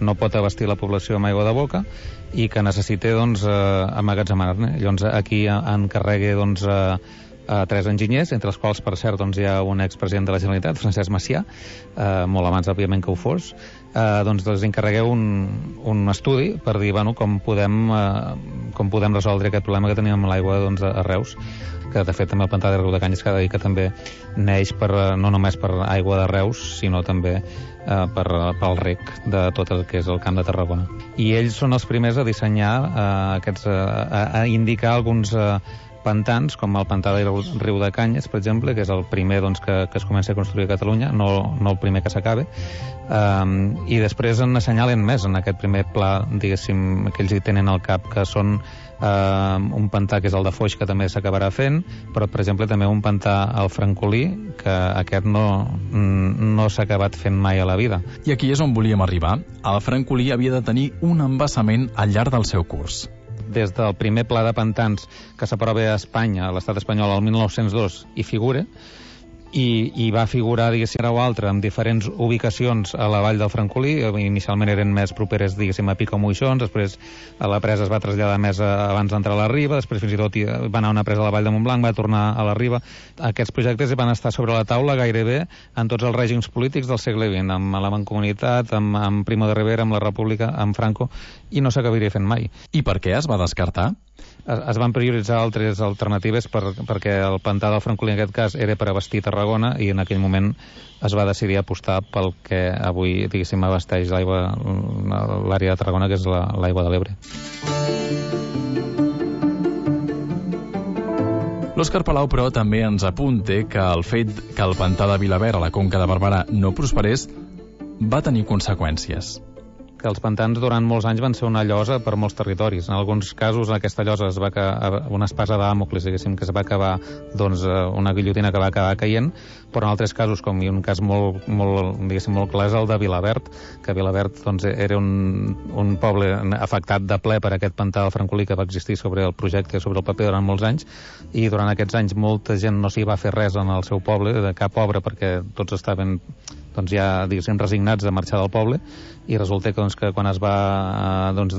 no pot abastir la població amb aigua de boca i que necessita doncs, eh, emmagatzemar-ne. Llavors aquí encarrega doncs, eh, a tres enginyers, entre els quals, per cert, doncs, hi ha un expresident de la Generalitat, Francesc Macià, eh, molt abans, òbviament, que ho fos, eh, doncs els encarregueu un, un estudi per dir bueno, com, podem, eh, com podem resoldre aquest problema que teníem amb l'aigua doncs, a Reus, que de fet també el pantà de Riu de Canyes, que ha de dir que també neix per, no només per aigua de Reus, sinó també eh, per, pel rec de tot el que és el Camp de Tarragona. I ells són els primers a dissenyar, eh, aquests, eh, a, a indicar alguns eh, pantans, com el pantà de Riu de Canyes, per exemple, que és el primer doncs, que, que es comença a construir a Catalunya, no, no el primer que s'acabe, um, i després en assenyalen més en aquest primer pla, diguéssim, que ells hi tenen al cap, que són uh, un pantà que és el de Foix, que també s'acabarà fent, però, per exemple, també un pantà al Francolí, que aquest no, no s'ha acabat fent mai a la vida.
I aquí és on volíem arribar. El Francolí havia de tenir un embassament al llarg del seu curs.
Des del primer pla de pantans que s'aprova a Espanya, a l'estat espanyol, el mil nou-cents dos, hi figura, i, i va figurar, diguéssim, o altra, en diferents ubicacions a la vall del Francolí. Inicialment eren més properes, diguéssim, a Pico Moixons, després a la presa es va traslladar més a, abans d'entrar a la Riba, després fins i tot va anar una presa a la vall de Montblanc, va tornar a la Riba. Aquests projectes van estar sobre la taula gairebé en tots els règims polítics del segle vint, amb la Mancomunitat, amb, amb Primo de Rivera, amb la República, amb Franco, i no s'acabaria fent mai.
I per què es va descartar?
Es, es van prioritzar altres alternatives per, perquè el pantà del Francolí en aquest cas era per abastir Tarragona i en aquell moment es va decidir apostar pel que avui, diguéssim, abasteix l'aigua, l'àrea de Tarragona, que és la, l'aigua de l'Ebre.
L'Òscar Palau, però, també ens apunta que el fet que el pantà de Vilaverd a la Conca de Barberà no prosperés va tenir conseqüències.
que els pantans durant molts anys van ser una llosa per molts territoris. En alguns casos aquesta llosa es va acabar, una espasa de Dàmocles, diguéssim, que es va acabar, doncs, una guillotina que va acabar caient, però en altres casos, com i un cas molt, molt, diguéssim, molt clar, és el de Vilaverd, que Vilaverd, doncs, era un, un poble afectat de ple per aquest pantà del Francolí que va existir sobre el projecte, sobre el paper durant molts anys, i durant aquests anys molta gent no s'hi va fer res en el seu poble, de cap obra, perquè tots estaven, doncs, ja, diguéssim, resignats de marxar del poble, i resulta que, doncs, que quan es va doncs,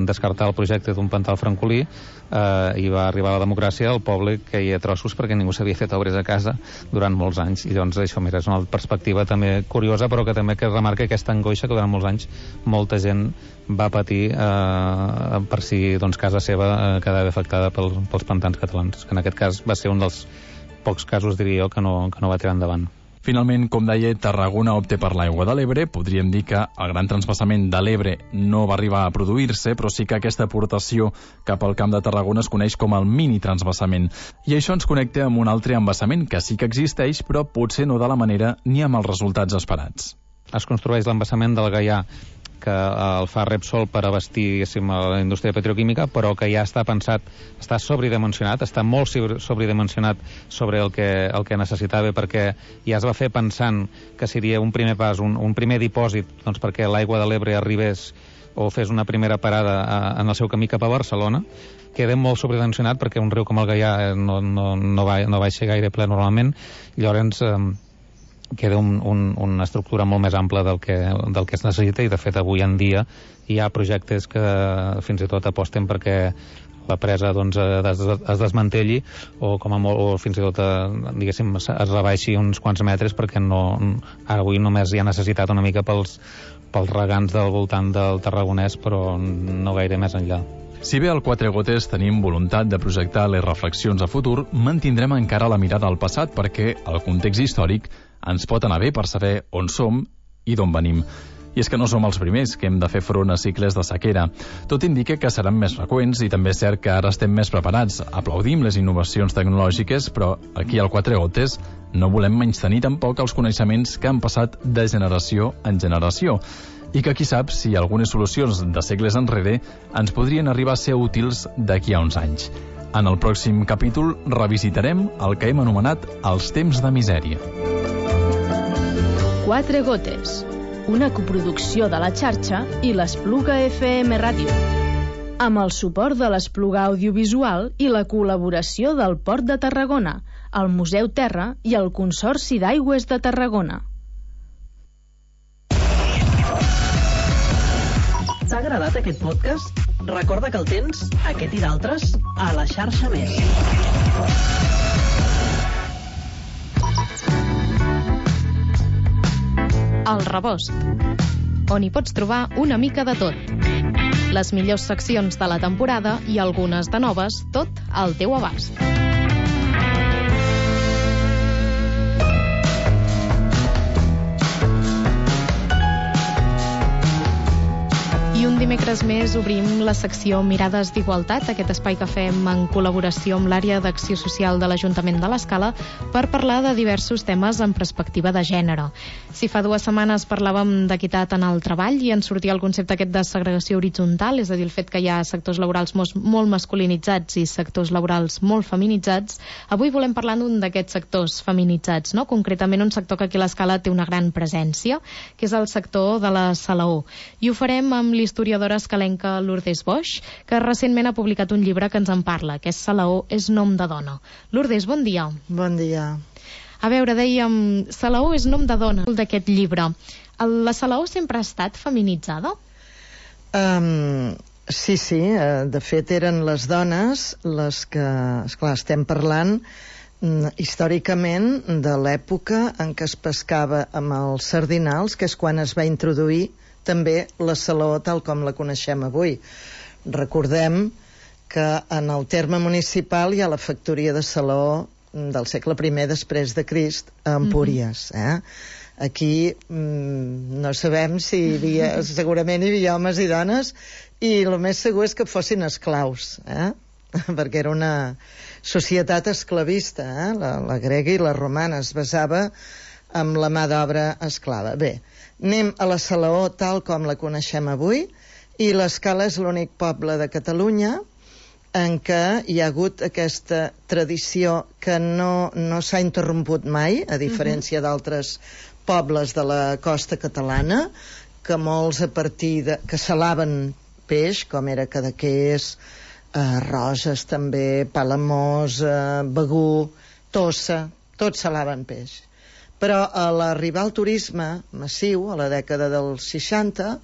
descartar el projecte d'un pantà al Francolí eh, i va arribar la democràcia, el poble queia a trossos perquè ningú s'havia fet obres a casa durant molts anys. I llavors això, mira, és una perspectiva també curiosa, però que també que remarca aquesta angoixa que durant molts anys molta gent va patir eh, per si, doncs, casa seva eh, quedava afectada pel, pels pantans catalans, que en aquest cas va ser un dels pocs casos, diria jo, que no, que no va tirar endavant.
Finalment, com deia, Tarragona opta per l'aigua de l'Ebre. Podríem dir que el gran transvasament de l'Ebre no va arribar a produir-se, però sí que aquesta aportació cap al Camp de Tarragona es coneix com el mini-transvasament. I això ens connecta amb un altre embassament que sí que existeix, però potser no de la manera ni amb els resultats esperats.
Es construeix l'embassament del Gaià, que el fa Repsol per abastir la indústria petroquímica, però que ja està pensat, està sobredimensionat, està molt sobredimensionat sobre el que, el que necessitava, perquè ja es va fer pensant que seria un primer pas, un, un primer dipòsit, doncs, perquè l'aigua de l'Ebre arribés o fes una primera parada a, en el seu camí cap a Barcelona. Queda molt sobredimensionat perquè un riu com el Gaià no, no, no, va, no baixa gaire ple normalment, llavors eh, queda un, un, una estructura molt més ampla del que, del que es necessita, i de fet avui en dia hi ha projectes que fins i tot aposten perquè la presa, doncs, es, es desmantelli o, com a molt, o fins i tot diguéssim, es rebaixi uns quants metres, perquè no, ara avui només hi ha necessitat una mica pels, pels regants del voltant del Tarragonès, però no gaire més enllà.
Si bé al Quatre Gotes tenim voluntat de projectar les reflexions a futur, mantindrem encara la mirada al passat, perquè el context històric ens pot anar bé per saber on som i d'on venim. I és que no som els primers que hem de fer front a cicles de sequera. Tot indica que seran més freqüents, i també és cert que ara estem més preparats. Aplaudim les innovacions tecnològiques, però aquí al Quatre Gotes no volem menystenir tampoc els coneixements que han passat de generació en generació, i que qui sap si algunes solucions de segles enrere ens podrien arribar a ser útils d'aquí a uns anys. En el pròxim capítol revisitarem el que hem anomenat els temps de misèria.
Quatre Gotes, una coproducció de la xarxa i l'Espluga F M Ràdio, amb el suport de l'Espluga Audiovisual i la col·laboració del Port de Tarragona, el Museu Terra i el Consorci d'Aigües de Tarragona.
T'ha agradat aquest podcast? Recorda que el tens, aquest i d'altres, a la xarxa Més.
El Rebost, on hi pots trobar una mica de tot. Les millors seccions de la temporada i algunes de noves, tot al teu abast. I un dimecres més obrim la secció Mirades d'Igualtat, aquest espai que fem en col·laboració amb l'àrea d'acció social de l'Ajuntament de l'Escala per parlar de diversos temes en perspectiva de gènere. Si fa dues setmanes parlàvem d'equitat en el treball i ens sortia el concepte aquest de segregació horitzontal, és a dir, el fet que hi ha sectors laborals molt masculinitzats i sectors laborals molt feminitzats, avui volem parlar d'un d'aquests sectors feminitzats, no? Concretament un sector que aquí a l'Escala té una gran presència, que és el sector de la salaó. I ho farem amb l'historiadora escalenca Lourdes Boix, que recentment ha publicat un llibre que ens en parla, que és Salaó és nom de dona. Lourdes, bon dia.
Bon dia.
A veure, dèiem, Salaó és nom de dona, d'aquest llibre. La Salaó sempre ha estat feminitzada?
Um, sí, sí. De fet, eren les dones les que, esclar, estem parlant històricament de l'època en què es pescava amb els sardinals, que és quan es va introduir també la salaó tal com la coneixem avui. Recordem que en el terme municipal hi ha la factoria de salaó del segle primer després de Crist a Empúries. Eh? Aquí mm, no sabem si hi havia, segurament hi havia homes i dones, i el més segur és que fossin esclaus, eh? perquè era una societat esclavista, eh? la, la grega i la romana. Es basava amb la mà d'obra esclava. Bé, anem a la Salaó tal com la coneixem avui, i l'Escala és l'únic poble de Catalunya en què hi ha hagut aquesta tradició que no, no s'ha interromput mai, a diferència uh-huh. d'altres pobles de la costa catalana, que molts a partir de... que salaven peix, com era Cadaqués, eh, Roses també, Palamós, eh, Begur, Tossa, tots salaven peix. Però a l'arribar al turisme massiu, a la dècada dels seixanta,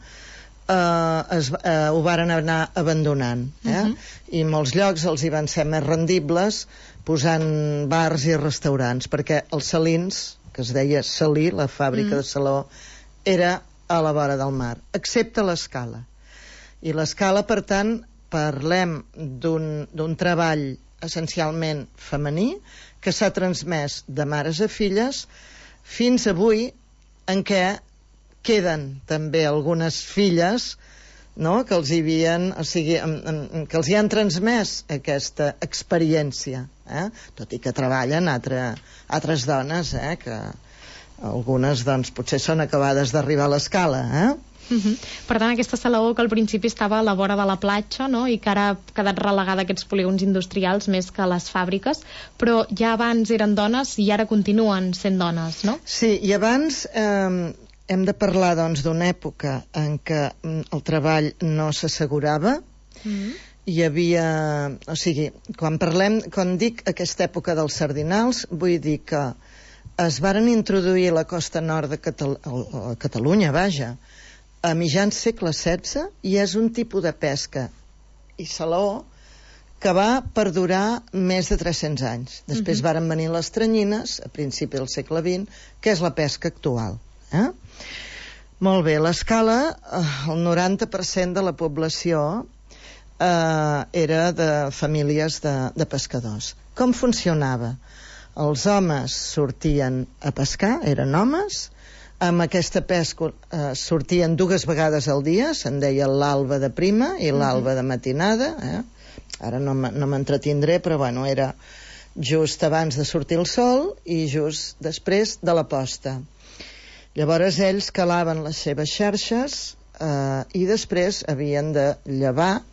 eh, es, eh, ho varen anar abandonant. Eh? Uh-huh. I molts llocs els hi van ser més rendibles posant bars i restaurants, perquè els Salins, que es deia Salí, la fàbrica uh-huh. de Saló, era a la vora del mar, excepte l'Escala. I l'Escala, per tant, parlem d'un treball essencialment femení que s'ha transmès de mares a filles fins avui, en què queden també algunes filles, no?, que els hi havien, o sigui, en, en, que els hi han transmès aquesta experiència, eh? Tot i que treballen altre, altres dones, eh? Que algunes, doncs, potser són acabades d'arribar a l'Escala, eh?
Uh-huh. Per tant, aquesta Salaó que al principi estava a la vora de la platja, no?, i que ara ha quedat relegada a aquests polígons industrials més que a les fàbriques, però ja abans eren dones i ara continuen sent dones, no?
Sí, i abans eh, hem de parlar, doncs, d'una època en què el treball no s'assegurava. Uh-huh. Hi havia... O sigui, quan parlem, quan dic aquesta època dels sardinals, vull dir que es varen introduir a la costa nord de Catal a Catalunya, vaja, a mitjans segle setze, i és un tipus de pesca i salaó que va perdurar més de tres-cents anys. Després uh-huh. varen venir les tranyines a principi del segle vint, que és la pesca actual. Eh? Molt bé, l'Escala, el noranta per cent de la població eh, era de famílies de, de pescadors. Com funcionava? Els homes sortien a pescar, eren homes. Amb aquesta pesca eh, sortien dues vegades al dia, se'n deia l'alba de prima i l'alba de matinada, eh? Ara no m'entretindré, però bueno, era just abans de sortir el sol i just després de la posta. Llavors ells calaven les seves xarxes eh, i després havien de llevar,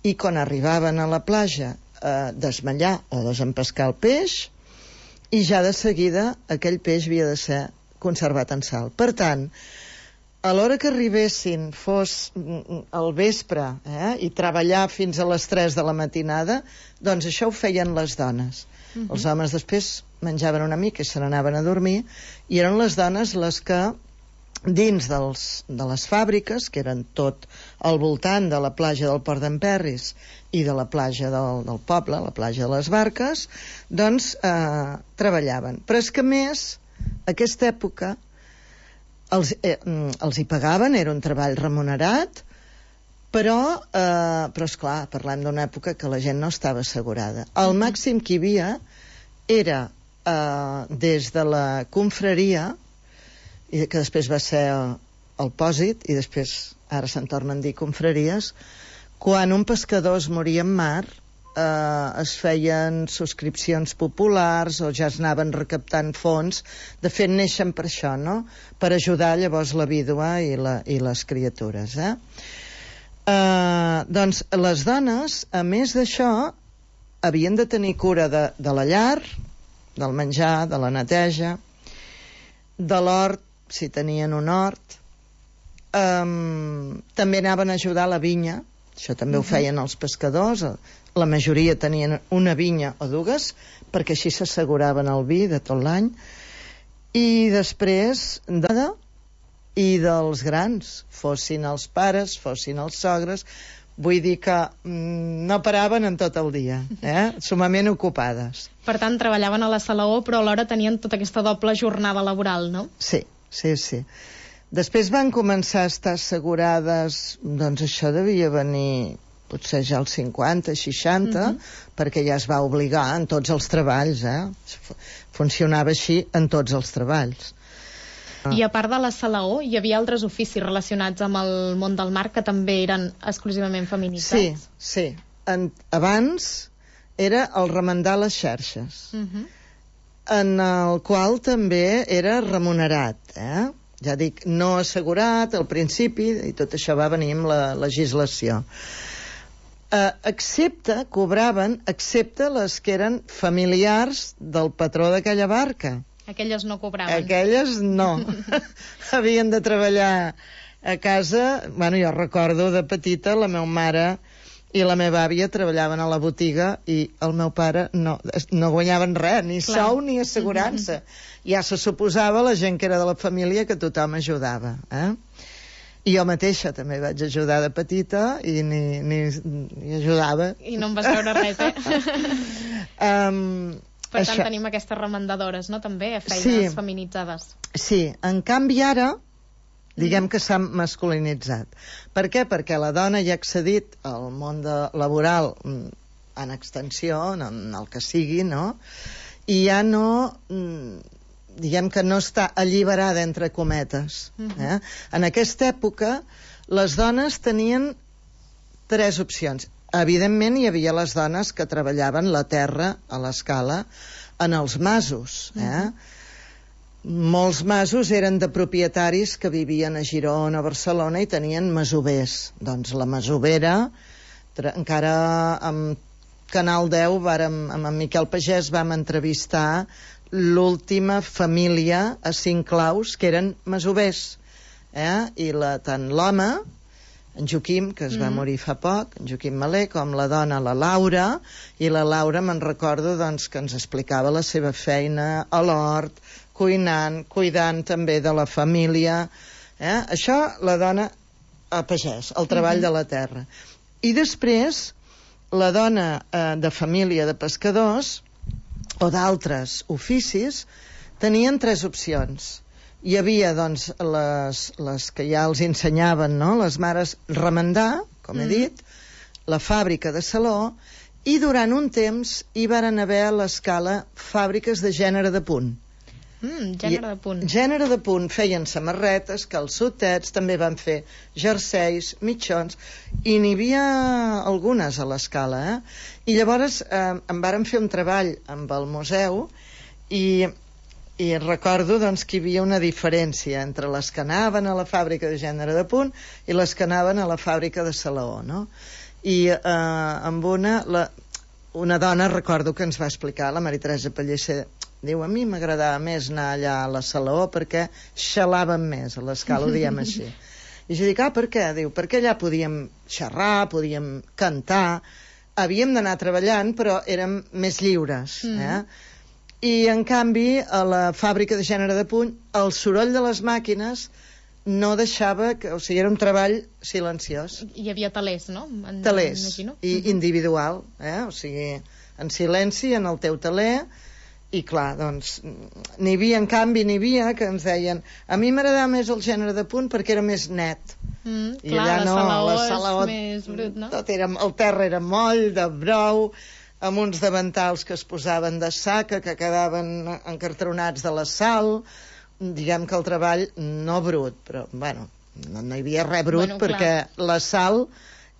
i quan arribaven a la platja eh, desmallar o desempescar el peix, i ja de seguida aquell peix havia de ser conservat en sal. Per tant, a l'hora que arribessin fos al vespre, eh, i treballar fins a les tres de la matinada, doncs això ho feien les dones. Uh-huh. Els homes després menjaven una mica i se n'anaven a dormir, i eren les dones les que dins dels, de les fàbriques, que eren tot al voltant de la platja del Port d'en Perris i de la platja del, del poble, la platja de les Barques, doncs eh, treballaven. Però és que més aquesta època els, eh, els hi pagaven, era un treball remunerat, però, eh, però esclar, parlem d'una època que la gent no estava assegurada. El màxim que hi havia era eh, des de la confraria, i que després va ser el, el pòsit, i després ara se'n tornen a dir confraries, quan un pescador es moria en mar, eh, es feien subscripcions populars o ja es anaven recaptant fons. De fet, neixen per això, no?, per ajudar llavors la vídua i, la, i les criatures, eh? Eh, doncs les dones, a més d'això, havien de tenir cura de, de la llar, del menjar, de la neteja, de l'hort, si tenien un hort. Um, també anaven a ajudar a la vinya, això també uh-huh. ho feien els pescadors. La majoria tenien una vinya o dues, perquè així s'asseguraven el vi de tot l'any. I després de... i dels grans, fossin els pares, fossin els sogres. Vull dir que mm, no paraven en tot el dia, eh? Sumament ocupades.
Per tant, treballaven a la Salaó, però alhora tenien tota aquesta doble jornada laboral, no?
Sí, sí, sí. Després van començar a estar assegurades, doncs això devia venir potser ja als cinquanta, seixanta, uh-huh. perquè ja es va obligar en tots els treballs, eh? Funcionava així en tots els treballs.
I a part de la Salaó, hi havia altres oficis relacionats amb el món del mar que també eren exclusivament feminitzats?
Sí, sí. En, abans era el remendar les xarxes. Uh-huh. en el qual també era remunerat, eh? Ja dic, no assegurat al principi, i tot això va venir amb la legislació. Eh, excepte, cobraven, excepte les que eren familiars del patró d'aquella barca.
Aquelles no cobraven.
Aquelles no. Havien de treballar a casa. Bueno, jo recordo de petita, la meva mare i la meva àvia treballaven a la botiga i el meu pare no, no guanyaven res, ni Clar. sou ni assegurança. Mm-hmm. Ja se suposava la gent que era de la família que tothom ajudava. Eh? I jo mateixa també vaig ajudar de petita i ni, ni, ni ajudava.
I no em vas veure res, eh?
um,
per tant,
això.
tenim aquestes remendadores, no?, també, feines
sí.
feminitzades.
Sí, en canvi ara diguem que s'ha masculinitzat. Per què? Perquè la dona ja ha accedit al món de, laboral en extensió, en el que sigui, no? I ja no, diguem que no està alliberada entre cometes. Eh? En aquesta època, les dones tenien tres opcions. Evidentment, hi havia les dones que treballaven la terra a l'escala en els masos, eh? Molts masos eren de propietaris que vivien a Girona, a Barcelona, i tenien masovers. Doncs la masovera, encara amb Canal deu, vàrem, amb en Miquel Pagès, vam entrevistar l'última família a Cinclaus, que eren masovers. Eh? I la, tant l'home, en Joaquim, que es va
Mm.
morir fa poc, en Joaquim Malé, com la dona, la Laura, i la Laura me'n recordo doncs, que ens explicava la seva feina a l'hort, cuinant, cuidant també de la família. Eh? Això, la dona a pagès, el treball
Mhm.
de la terra. I després, la dona eh, de família de pescadors o d'altres oficis tenien tres opcions. Hi havia, doncs, les, les que ja els ensenyaven, no?, les mares remendar, com he
Mm.
dit, la fàbrica de saló, i durant un temps hi varen haver a l'escala fàbriques de gènere de punt.
Mm, gènere de punt.
Gènere de punt, feien samarretes, calçotets, també van fer jerseis, mitjons, i n'hi havia algunes a l'escala, eh? I llavors eh, em varen fer un treball amb el museu i, i recordo doncs, que hi havia una diferència entre les que anaven a la fàbrica de gènere de punt i les que anaven a la fàbrica de salaó, no? I eh, amb una, la, una dona, recordo que ens va explicar, la Maria Teresa Pellicer, diu, a mi m'agradava més anar allà a la Salaó perquè xalàvem més, a l'escala ho diem així. I jo dic, ah, per què? Diu, perquè allà podíem xerrar, podíem cantar, havíem d'anar treballant, però érem més lliures.
Mm.
Eh? I, en canvi, a la fàbrica de gènere de puny, el soroll de les màquines no deixava, que, o sigui, era un treball silenciós.
Hi havia talers, no? En,
Talers,
imagino.
i individual, eh? O sigui, en silenci, en el teu taler. I clar, doncs, n'hi havia, en canvi, n'hi havia que ens deien, a mi m'agradava més el gènere de punt perquè era més net.
Mm,
I
clar,
allà
la
no,
salaó
la
és
salaó,
més brut, no?
tot era, el terra era moll, de brou, amb uns davantals que es posaven de saca, que quedaven encartronats de la sal, diguem que el treball no brut, però, bueno, no, no hi havia res brut,
Bueno,
perquè
clar.
la sal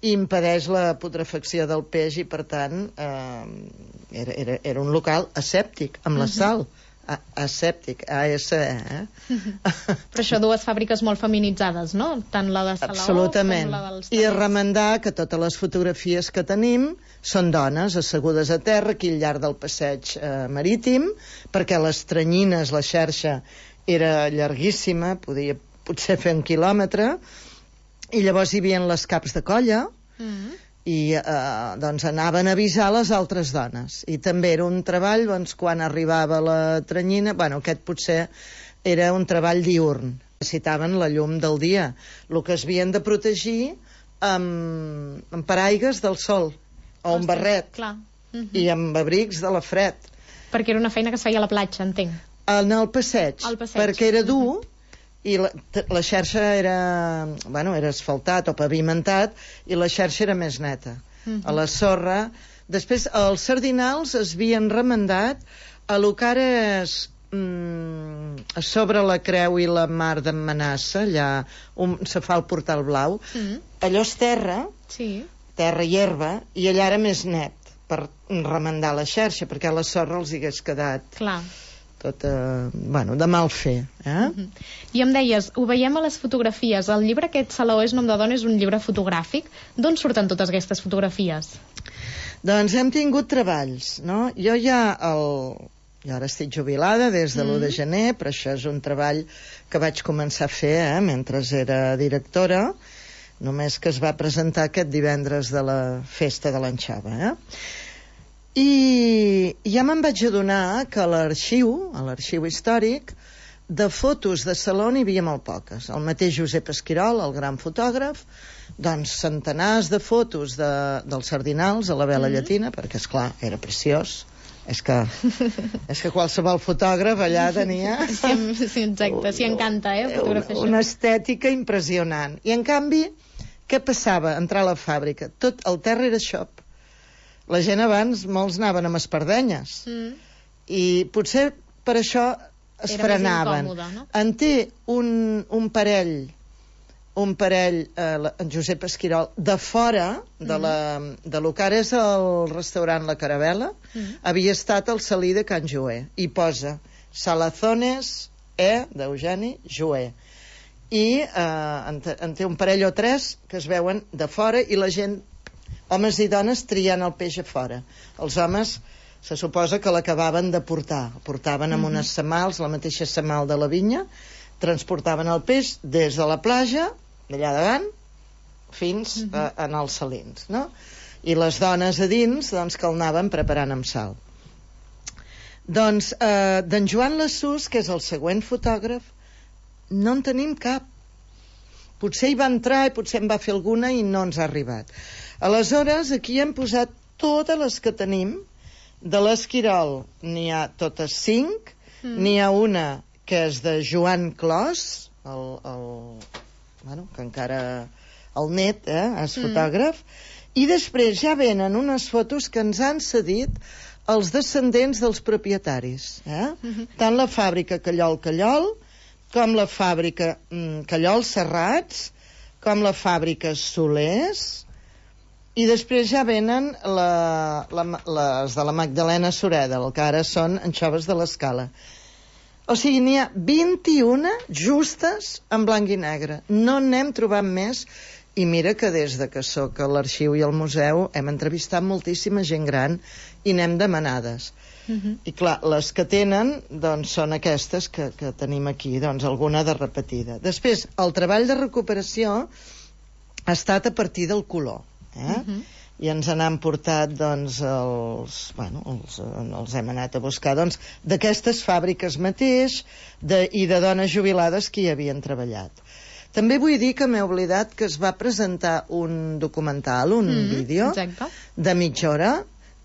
impedeix la putrefacció del peix i, per tant, eh, era, era, era un local asèptic, amb la
Mhm.
sal. A, asèptic, A S E, eh?
Però això, dues fàbriques molt feminitzades, no? Tant la de Salaó
Absolutament.
com la dels
I a
talers.
remendar que totes les fotografies que tenim són dones assegudes a terra aquí al llarg del passeig eh, marítim, perquè les tranyines, la xarxa era llarguíssima, podia potser fer un quilòmetre, i llavors hi havia les caps de colla,
Mm.
i eh, doncs anaven a avisar les altres dones, i també era un treball doncs, quan arribava la tranyina, bueno, aquest potser era un treball diurn, necessitaven la llum del dia, el que es havien de protegir amb, amb paraigues del sol o un
Ostres,
barret,
clar. Mhm.
i amb abrics de la fred.
Perquè era una feina que es feia a la platja, entenc.
En el passeig,
Al passeig.
perquè era dur, i la, t- la xarxa era, bueno, era asfaltat o pavimentat, i la xarxa era més neta.
Mhm.
A la sorra. Després, els sardinals es havien remendat a lo que ara és mm, a sobre la Creu i la Mar d'en Manassa, allà on se fa el Portal Blau.
Mm.
Allò és terra,
Sí.
terra i herba, i allà era més net per remendar la xarxa, perquè a la sorra els hi hagués quedat
Clar.
tot eh, bueno, de mal fer. Eh?
Uh-huh. I em deies, ho veiem a les fotografies, el llibre aquest Salaó és nom de dona és un llibre fotogràfic. D'on surten totes aquestes fotografies?
Doncs hem tingut treballs, no? Jo ja, el... jo ara estic jubilada des de l'u de gener, però això és un treball que vaig començar a fer eh, mentre era directora, només que es va presentar aquest divendres de la festa de l'Anxova. Eh? I ja me'n vaig adonar que a l'arxiu, a l'arxiu històric, de fotos de saló n'hi havia molt poques. El mateix Josep Esquirol, el gran fotògraf, doncs centenars de fotos de, dels Sardinals a la vela mm-hmm. llatina, perquè, esclar, era preciós. És que, és que qualsevol fotògraf allà tenia...
Sí, sí exacte, s'hi encanta, eh, fotografiar
una, una estètica impressionant. I, en canvi, què passava? Entrar a la fàbrica. Tot el terra era xop. La gent abans, molts anaven amb espardenyes. Mm. I potser per això es era frenaven. Incòmode, no? En té un, un parell... un parell, eh, en Josep Esquirol, de fora de, la, de lo que ara és el restaurant La Caravela, mm. havia estat el Salí de Can Joé, i posa Salazones E, d'Eugeni Joé. I eh, en, en té un parell o tres que es veuen de fora, i la gent, homes i dones, triant el peix a fora. Els homes se suposa que l'acabaven de portar. El portaven amb mm-hmm. unes semals, la mateixa semal de la vinya, transportaven el peix des de la platja, d'allà davant, fins uh-huh. a, en els salins, no? I les dones a dins, doncs, que el anaven preparant amb sal. Doncs, eh, d'en Joan Lassús, que és el següent fotògraf, no en tenim cap. Potser hi va entrar i potser en va fer alguna i no ens ha arribat. Aleshores, aquí hem posat totes les que tenim. De l'Esquirol n'hi ha totes cinc, mm. n'hi ha una que és de Joan Clos, el, el, bueno, que encara el net eh, és fotògraf, mm. i després ja venen unes fotos que ens han cedit els descendents dels propietaris. Eh? Mm-hmm. Tant la fàbrica Callol Callol, com la fàbrica mm, Callol Serrats, com la fàbrica Solers, i després ja venen la, la, les de la Magdalena Sureda, el que ara són anxoves de l'Escala. O sigui, n'hi ha vint-i-una justes en blanc i negre. No n'hem trobat més. I mira que des de que soc a l'arxiu i al museu hem entrevistat moltíssima gent gran i n'hem demanades. Uh-huh. I clar, les que tenen doncs, són aquestes que, que tenim aquí, doncs alguna de repetida. Després, el treball de recuperació ha estat a partir del color. Eh? Uh-huh. I ens n'han portat doncs, els, bueno, els, els hem anat a buscar doncs, d'aquestes fàbriques mateix de, i de dones jubilades que hi havien treballat. També vull dir que m'he oblidat que es va presentar un documental, un mm, vídeo exacte. de mitja hora,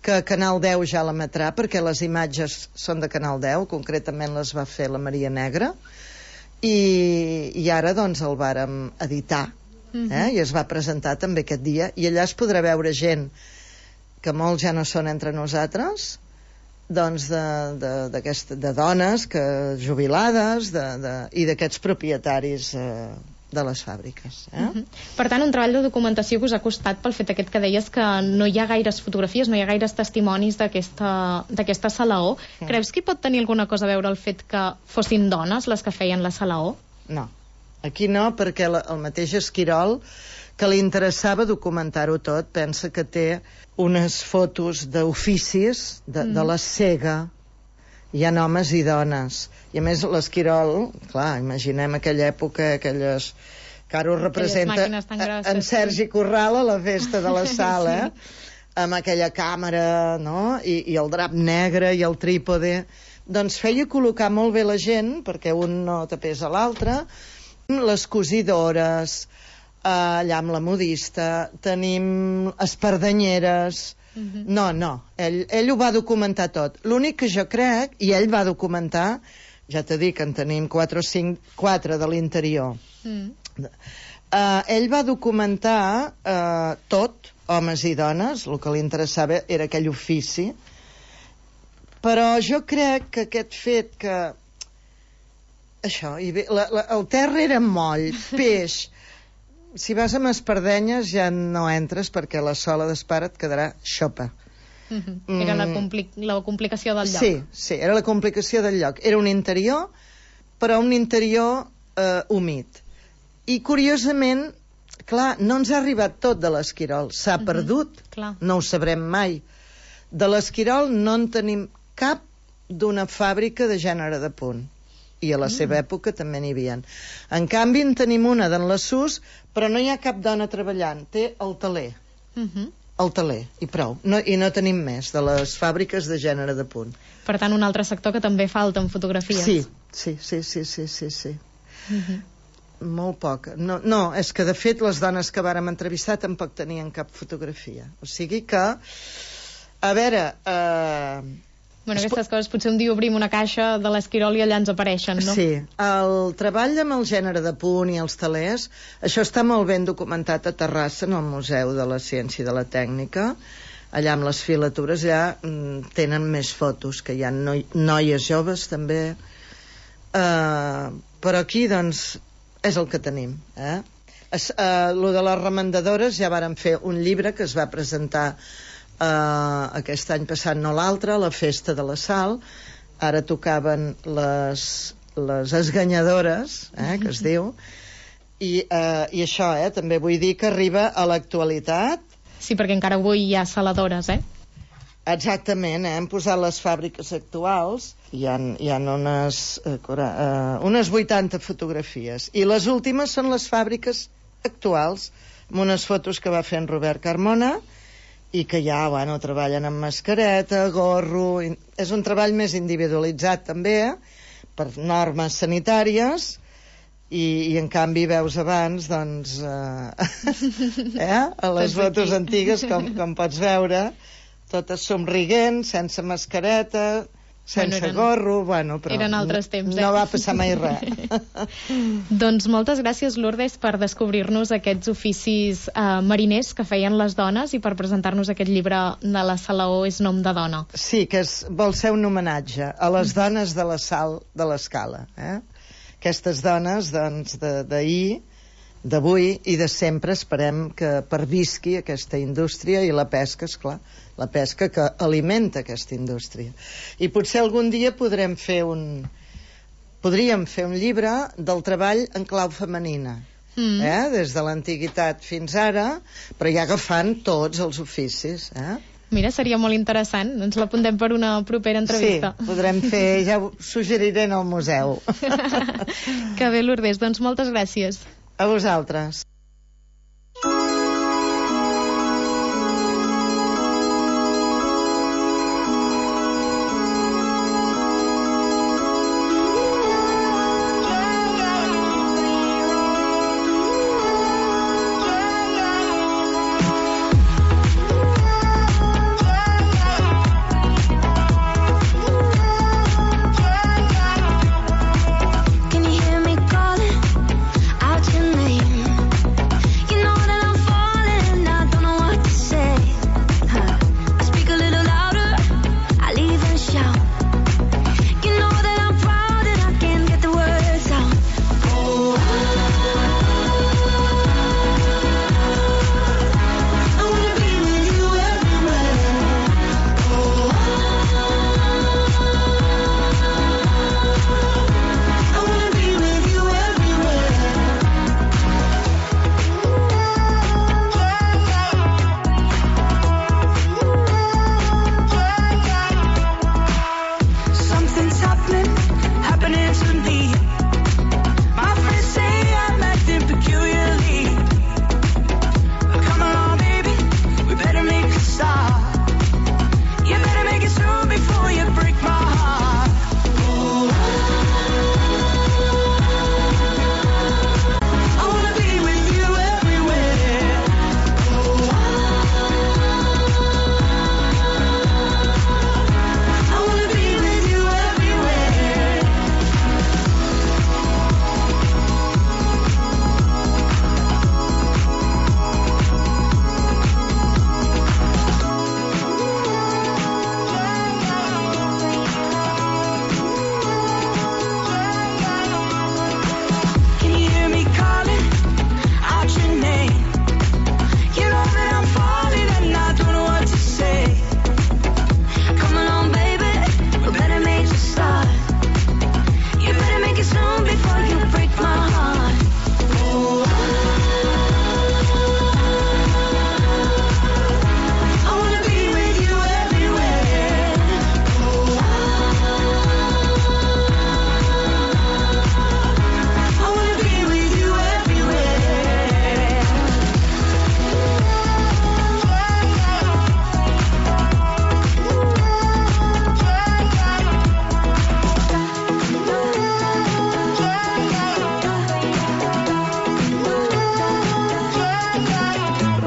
que Canal deu ja l'emetrà, perquè les imatges són de Canal deu, concretament les va fer la Maria Negra, i, i ara doncs el vàrem editar. Eh? I es va presentar també aquest dia, i allà es podrà veure gent que molts ja no són entre nosaltres, doncs de, de, de dones que, jubilades de, de, i d'aquests propietaris eh, de les fàbriques. Eh?
Uh-huh. Per tant, un treball de documentació que us ha costat pel fet aquest que deies que no hi ha gaires fotografies, no hi ha gaires testimonis d'aquesta Salaó. Uh-huh. Creus que hi pot tenir alguna cosa a veure el fet que fossin dones les que feien la Salaó?
No. Aquí no, perquè la, el mateix Esquirol, que li interessava documentar-ho tot, pensa que té unes fotos d'oficis de, mm. de la cega. Hi ha homes i dones. I a més l'Esquirol, clar, imaginem aquella època, aquelles... que ara ho representa grosses, en Sergi Corral a la festa de la sala, sí. amb aquella càmera, no? I, i el drap negre i el trípode. Doncs feia col·locar molt bé la gent, perquè un no tapés a l'altre. Les cosidores, eh, allà amb la modista, tenim espardenyeres. Uh-huh. No, no, ell, ell ho va documentar tot. L'únic que jo crec, i ell va documentar, ja t'he dit que en tenim quatre o cinc, quatre de l'interior. Uh-huh. Uh, ell va documentar uh, tot, homes i dones, el que li interessava era aquell ofici, però jo crec que aquest fet que això, i bé, la, la, el terra era moll, peix. Si vas amb espardenyes ja no entres perquè la sola d'espara et quedarà xopa.
Mm-hmm. Era la, compli la complicació del lloc.
Sí, sí, era la complicació del lloc. Era un interior, però un interior eh, humit. I, curiosament, clar, no ens ha arribat tot de l'Esquirol. S'ha mm-hmm. perdut,
clar.
No ho sabrem mai. De l'Esquirol no en tenim cap d'una fàbrica de gènere de punt. I a la mm. seva època també n'hi havia. En canvi, en tenim una d'en la Sus, però no hi ha cap dona treballant. Té el teler.
Mm-hmm.
El teler, i prou. No, I no tenim més de les fàbriques de gènere de punt.
Per tant, un altre sector que també falta en fotografies.
Sí, sí, sí, sí, sí, sí, sí.
Mm-hmm.
Molt poc. No, no, és que de fet les dones que vàrem entrevistar tampoc tenien cap fotografia. O sigui que, a veure... Eh,
Bueno, aquestes coses, potser un dia obrim una caixa de l'Esquirol i allà ens apareixen, no?
Sí, el treball amb el gènere de punt i els telers, això està molt ben documentat a Terrassa, en el Museu de la Ciència i de la Tècnica. Allà amb les filatures ja mm, tenen més fotos, que hi ha noi noies joves també. Uh, però aquí, doncs, és el que tenim. Eh? Es, uh, lo de les remendadores ja vàrem fer un llibre que es va presentar Uh, aquest any passat, no l'altre, a la Festa de la Sal. Ara tocaven les, les esganyadores, eh, que es diu, i, uh, i això, eh, també vull dir que arriba a l'actualitat.
Sí, perquè encara avui hi ha saladores, eh?
Exactament, eh? Hem posat les fàbriques actuals, hi ha, hi ha unes, uh, uh, unes vuitanta fotografies, i les últimes són les fàbriques actuals, amb unes fotos que va fer en Robert Carmona, i que ja, bueno, treballen amb mascareta, gorro... És un treball més individualitzat, també, per normes sanitàries, i, i en canvi veus abans, doncs, eh, eh? a les fotos antigues, com, com pots veure, totes somriguents, sense mascareta, sense bueno, eren, gorro, bueno, però
eren altres temps, eh?
No va passar mai res.
Doncs moltes gràcies, Lourdes, per descobrir-nos aquests oficis eh, mariners que feien les dones i per presentar-nos aquest llibre de la Salaó és nom de dona.
Sí, que és, vol ser un homenatge a les dones de la sal de l'Escala. Eh? Aquestes dones, doncs, d'ahir, d'avui i de sempre, esperem que pervisqui aquesta indústria i la pesca, esclar, la pesca que alimenta aquesta indústria. I potser algun dia podrem fer un... podríem fer un llibre del treball en clau femenina, mm. eh? Des de l'antiguitat fins ara, però ja agafant tots els oficis. Eh?
Mira, seria molt interessant. Ens l'apuntem per una propera entrevista.
Sí, podrem fer, ja ho suggeriré en el museu.
Que bé, Lourdes, doncs moltes gràcies.
A vosaltres.
Can you hear me calling out your name?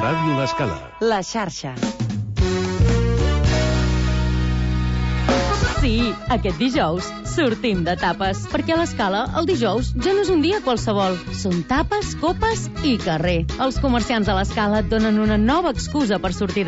Ràdio L'Escala.
La xarxa.
Sí, aquest dijous sortim de tapes, perquè a l'Escala el dijous ja no és un dia qualsevol. Són tapes, copes i carrer. Els comerciants de l'Escala et donen una nova excusa per sortir de